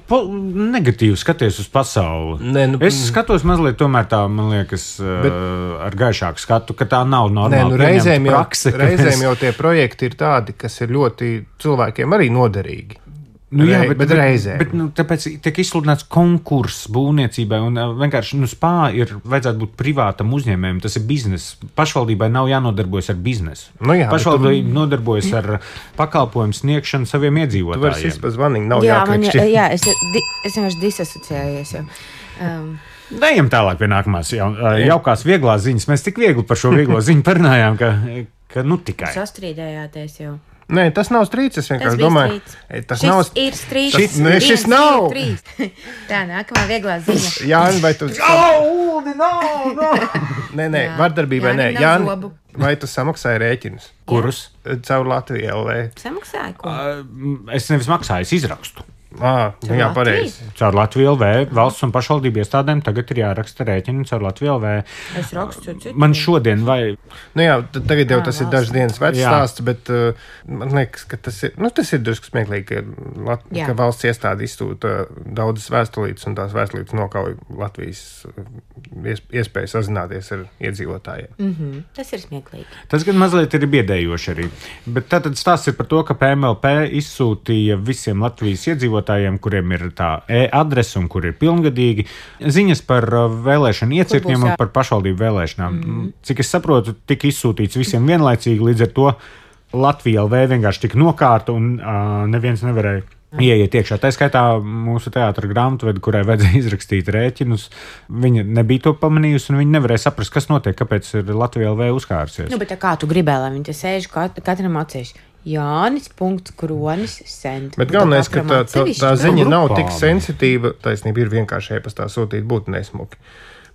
negatīvi skaties uz pasauli. Es skatos mazliet tomēr tā, man liekas, ar gaišāku skatu, ka tā nav normāla pieņemta prakse. Reizēm jau tie projekti ir tādi, kas ir ļoti cilvēkiem arī noderīgi. Bet reizē. Tāpēc tiek izsludināts konkurss būvniecībai, un vienkārši spā ir vajadzētu būt privātam uzņēmējam. Tas ir bizness. Pašvaldībai nav jānodarbojas ar biznesu. Pašvaldība nodarbojas ar pakalpojumu sniegšanu saviem iedzīvotājiem. Tu vari sist pa zvaniņu, nav jāklikšķi. Jā, es vienkārši disasociējos jau. Ejam tālāk pie nākamās jaukās vieglās ziņas. Mēs tik viegli par šo vieglo ziņu parunājām, ka tikai. Sastrīdējāties jau. Nē, tas nav strīds. Es vienkārši domāju, tas ir strīds. Šis nav. Tā, nākamā vieglā ziņa. Jāni, vai tu... Nē, vardarbībai nē. Jāni, vai tu samaksāji rēķinus? Kurus? Caur Latviju LV. Samaksāji ko? Es nevis maksāju, es izrakstu. Jā, pareizi. Caur Latviju LV valsts un pašvaldību iestādēm tagad ir jāraksta rēķini caur Latviju LV. Es rakstu citu. Man šodien vai... Nu jā, tagad jau tas ir dažas dienas vecs stāsts, bet man liekas, ka tas ir drusku smieklīgi, ka valsts iestāde izsūta daudzas vēstulītes un tās vēstulītes nokauj Latvijas iespēju sazināties ar iedzīvotājiem. Tas ir smieklīgi. Tas gan mazliet ir biedējoši arī. Bet tātad stāsts ir par to, ka PMLP izsūtīja visiem Latvijas iedzīvotājiem, kuriem ir tā e-adrese un kur ir pilngadīgi, ziņas par vēlēšanu iecirkņiem un par pašvaldību vēlēšanām. Cik es saprotu, tika izsūtīts visiem vienlaicīgi, līdz ar to Latvija LV vienkārši tika nokārta un neviens nevarēja ieiet iekšā. Tā skaitā mūsu teātra grāmatvedi, kurai vajadzēja izrakstīt rēķinus, viņa nebija to pamanījusi un viņa nevarēja saprast, kas notiek, kāpēc ir Latvija LV uzkārsies. Bet kā tu gribēji, lai viņi te sēž katram atsevišķi? Jānis.Kronis sent. Bet galvenais, ka tā ziņa nav tik sensitīva, taisnība ir vienkārši e-pastā sūtīt, būtu nesmuki.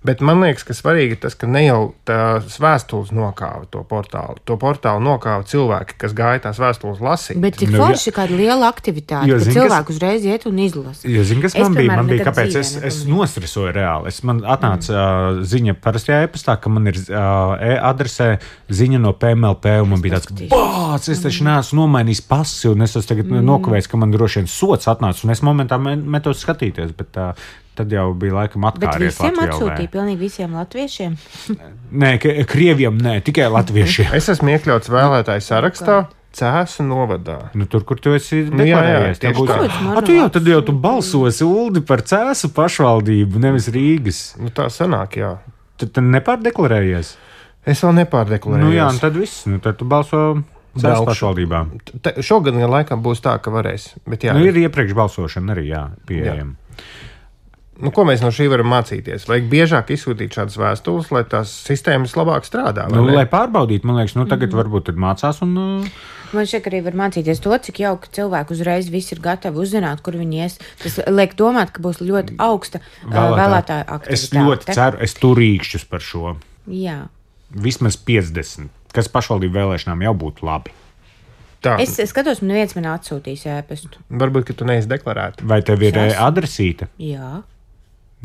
Bet man liekas, ka svarīgi ir tas, ka ne jau tās vēstules nokāva to portālu. To portālu nokāva cilvēki, kas gāja tās vēstules lasīt. Bet cik forši kāda liela aktivitāte, ka cilvēku uzreiz iet un izlasa. Kas man bija, kāpēc es nosresoju reāli. Man atnāca ziņa parastajā e-pastā, ka man ir e-adresē ziņa no PMLP, un man bija tāds, bāc, es taču neesmu nomainījis pasi, un es esmu tagad nokavējis, ka man droši vien sots atnāca, un es momentā metos skatīties, bet tad jau bija laikam atkārties Latvijā. Bet visiem atsūtīja, pilnīgi visiem latviešiem? Nē, Krieviem nē, tikai latviešiem. Es esmu iekļauts vēlētāju sarakstā Cēsu novadā. Tur, kur tu esi deklarējies. Tad jau tu balsosi, Uldi, par Cēsu pašvaldību, nevis Rīgas. Tā sanāk, jā. Tad nepārdeklarējies? Es vēl nepārdeklarējos. Jā, un tad viss. Tad tu balso Cēsu pašvaldībām. Šogad laikam būs tā, ka varēs. Bet jā. Ir iepriekš balsošana arī, pieejama. Ko mēs no šī varam mācīties? Vajag biežāk izsūtīt šādas vēstules, lai tās sistēmas labāk strādā. Lai pārbaudītu, man liekas, tagad varbūt mācās. Man šeit arī var mācīties to, cik jauki cilvēki uzreiz visi ir gatavi uzzināt, kur viņi ies. Tas liek domāt, ka būs ļoti augsta vēlētāja aktivitāte. Es ļoti ceru, es turīkšķus par šo. Jā. Vismaz 50, kas pašvaldību vēlēšanām jau būtu labi. Tā. Es skatos, man neviens man atsūtīs ēpastu. Varbūt, ka tu neesi deklarēta. Vai tev ir adresīta? Jā.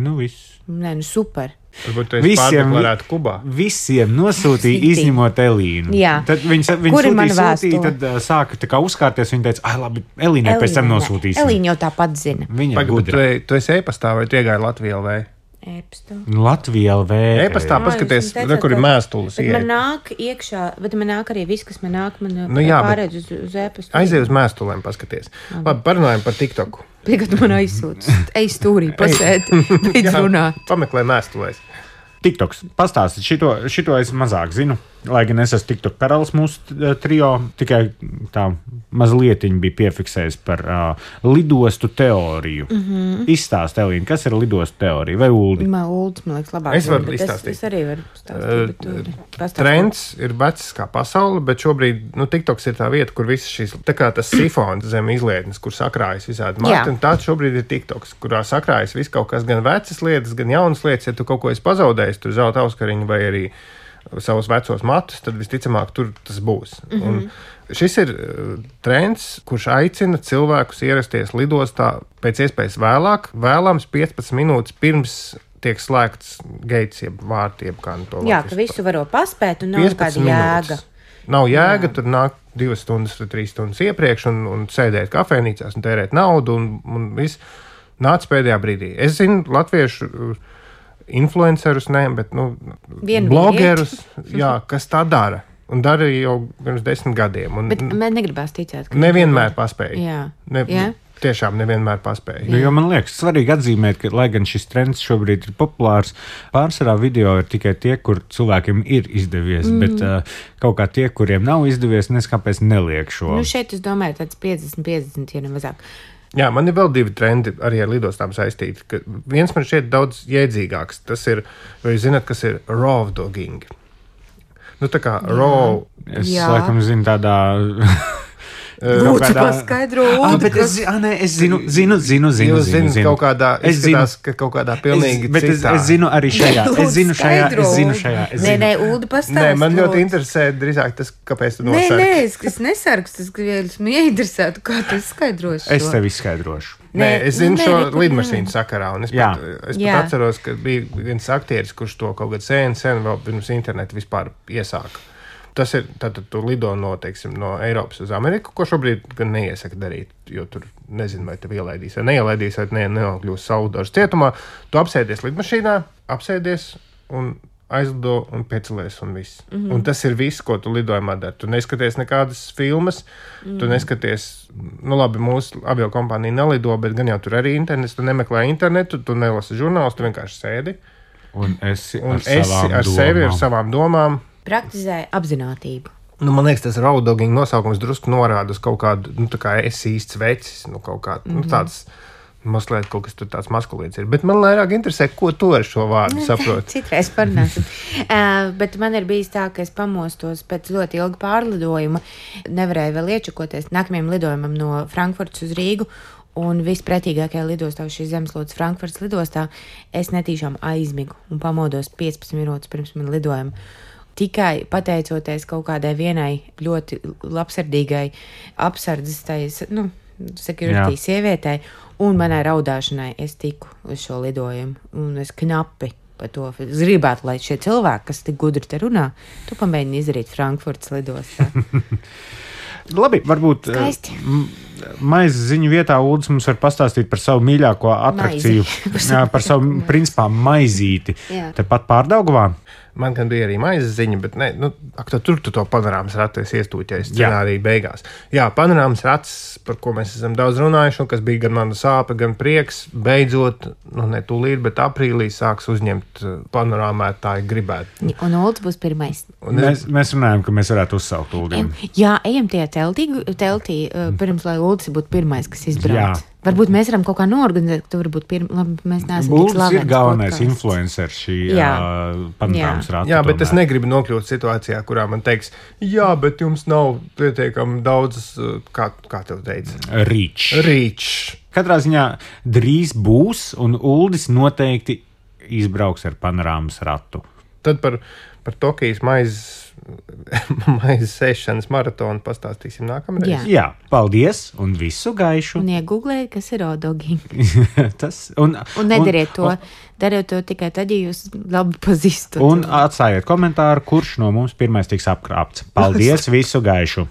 Viss. Nē, super. Varbūt tu esi pārdeklarēta Kubā. Visiem nosūtīja, izņemot Elīnu. Jā. Tad viņa sūtīja, tad sāka tā kā uzkārties. Viņa teica, labi, Elīnai pēc tam nosūtīsim. Elīna jau tāpat zina. Viņa gudra. Tu esi e-pastā vai tu iegāji Latviju LV? Latvija LV. E-pastā paskaties, kur ir mēstules. Man nāk iekšā, bet man nāk arī viss, kas man nāk, pārēdz uz e-pastu. Aizej uz mēstulēm, paskaties. Labi, parunājam par TikToku. Tagad man aizsūta. Ej stūrī, pasēdi, beidz runāt. Pameklē mēstulēs. TikToks. Pastāstiet, šito es mazāk zinu. Lai gan es esmu TikTok karalis mūsu trio, tikai tā mazlietiņa bija piefiksējis par lidostu teoriju. Izstāst, Elīna, kas ir lidostu teorija? Vai Uldi? Uldi, man liekas, labāk. Es varu izstāstīt. Es arī varu stāstīt. Trends ir vecs kā pasaule, bet šobrīd TikToks ir tā vieta, kur visas šīs, tā kā tas sifons zem izlietnes, kur sakrājas visādi mati, un tāds šobrīd ir TikToks, kurā sakrājas viss kaut kas, gan vecas lietas, gan jaunas lietas. Ja tu kaut ko esi pazaudējis, tur zelta auskariņu vai arī savus vecos matus, tad visticamāk tur tas būs. Un šis ir trends, kurš aicina cilvēkus ierasties lidostā pēc iespējas vēlāk, vēlams 15 minūtes pirms tiek slēgts gates, jeb vārti, jeb kā to Jā, ka visu varo paspēt un nav kāda jēga. Nav jēga, tur nāk 2 stundas vai 3 stundas iepriekš un sēdēt kafejnīcās un tērēt naudu un viss nāc pēdējā brīdī. Es zinu latviešu influencerus, bet blogerus, jā, kas tā dara. Un darīja jau pirms 10 gadiem. Bet man negribās ticēt, ka nevienmēr paspēja. Jā. Tiešām nevienmēr paspēja. Jo man liekas, svarīgi atzīmēt, ka, lai gan šis trends šobrīd ir populārs, pārsvarā video ir tikai tie, kur cilvēkiem ir izdevies, bet kaut kā tie, kuriem nav izdevies, neskāpēc neliek šo. Šeit es domāju tāds 50, ja ne mazāk. Jā, man ir vēl 2 trendi arī ar lidostām saistīti. Viens man šķiet daudz jēdzīgāks. Tas ir, vai jūs zināt, kas ir raw dogging? Tā kā raw. Es laikam zinu tādā... Lūdzu, paskaidro. Bet es zinu. Jūs zināt, kaut kādā izskatās, ka kaut kādā pilnīgi citā. Es zinu arī šajā. Es zinu šajā. Nē, Uldi pastāst. Man ļoti interesē drīzāk tas, kāpēc tu nosargi. Nē, es nesargu, es esmu ieinteresēta, kā tu skaidroši šo. Es tev izskaidrošu. Nē, es zinu šo lidmašīnu sakarā, un es pat atceros, ka bija viens aktieris, kurš to kaut kad sen vēl pirms internetu vispār iesāka. Tas ir, tad tu lido no Eiropas uz Ameriku, ko šobrīd gan neiesaka darīt, jo tur nezinu, vai tev ielaidīs vai neielaidīs, vai nenokļūs Saudažas cietumā. Tu apsēdies lidmašīnā, apsēdies un aizlido un piecelies un viss. Un tas ir viss, ko tu lidojumā dari. Tu neskaties nekādas filmas, tu neskaties, labi, mūsu aviokompānija nelido, bet gan jau tur arī internets, tu nemeklē internetu, tu nelasi žurnālus, tu vienkārši sēdi. Un esi ar sevi, ar savām domām. Praktizēja apzinātību. Man liekas, tas raw dogging nosaukums drusku norāda uz kaut kādu, tā kā es īsts vecis, kaut kā, tāds mazliet kaut kas tur tāds maskulīns ir. Bet man vairāk interesē, ko tu ar šo vārdu saproti. Citreiz parunāsim. Bet man ir bijis tā, ka es pamostos pēc ļoti ilga pārlidojuma, nevarēju vēl iečakoties nākamajam lidojumam no Frankfurtas uz Rīgu, un vispretīgākajā lidostā, šīs Zemeslodes Frankfurtas lidostā, es netīšām aizmigu un pamodos 15 minūtes pirms man lidojuma. Tikai pateicoties kaut kādai vienai ļoti labsirdīgai apsardzes security sievietei un manai raudāšanai, es tiku uz šo lidojumu. Un es knapi par to. Es gribētu, lai šie cilvēki, kas tik gudri te runā, tu pamēģini izdarīt Frankfurtas lidostā. Labi, varbūt maizes ziņu vietā Uldis mums var pastāstīt par savu mīļāko atrakciju. Par savu, principā, maizīti. Tepat Pārdaugavā. Man gan bija arī maizes ziņa, bet tur tu to panorāmas ratu iestūķējies scenārija beigās. Jā, panorāmas rats, par ko mēs esam daudz runājuši, un kas bija gan mana sāpe, gan prieks, beidzot, ne tūlīt, bet aprīlī sāks uzņemt panorāmētāji gribētu. Un Uldis būs pirmais. Mēs runājam, ka mēs varētu uzsaukt Uldim. Jā, ejam tie teltī, pirms, lai Uldis būtu pirmais, kas izbrauc. Varbūt mēs varam kaut kā noorganizēt, ka tu vari būt pirmais. Mēs neesam tik slavens. Ir galvenais influencer šī panorāmas rata. Jā, bet es negribu nokļūt situācijā, kurā man teiks, jā, bet jums nav pietiekami daudz, kā tev teica? Rīč. Katrā ziņā drīz būs, un Uldis noteikti izbrauks ar panorāmas ratu. Tad par Tokijas maizes sēšanas maratonu pastāstīsim nākamreiz. Jā, paldies un visu gaišu. Un iegooglējiet, kas ir raw dogging. Un nedariet to. Dariet to tikai tad, ja jūs labi pazīstat. Un atstājiet komentāru, kurš no mums pirmais tiks apkrāpts. Paldies, visu gaišu!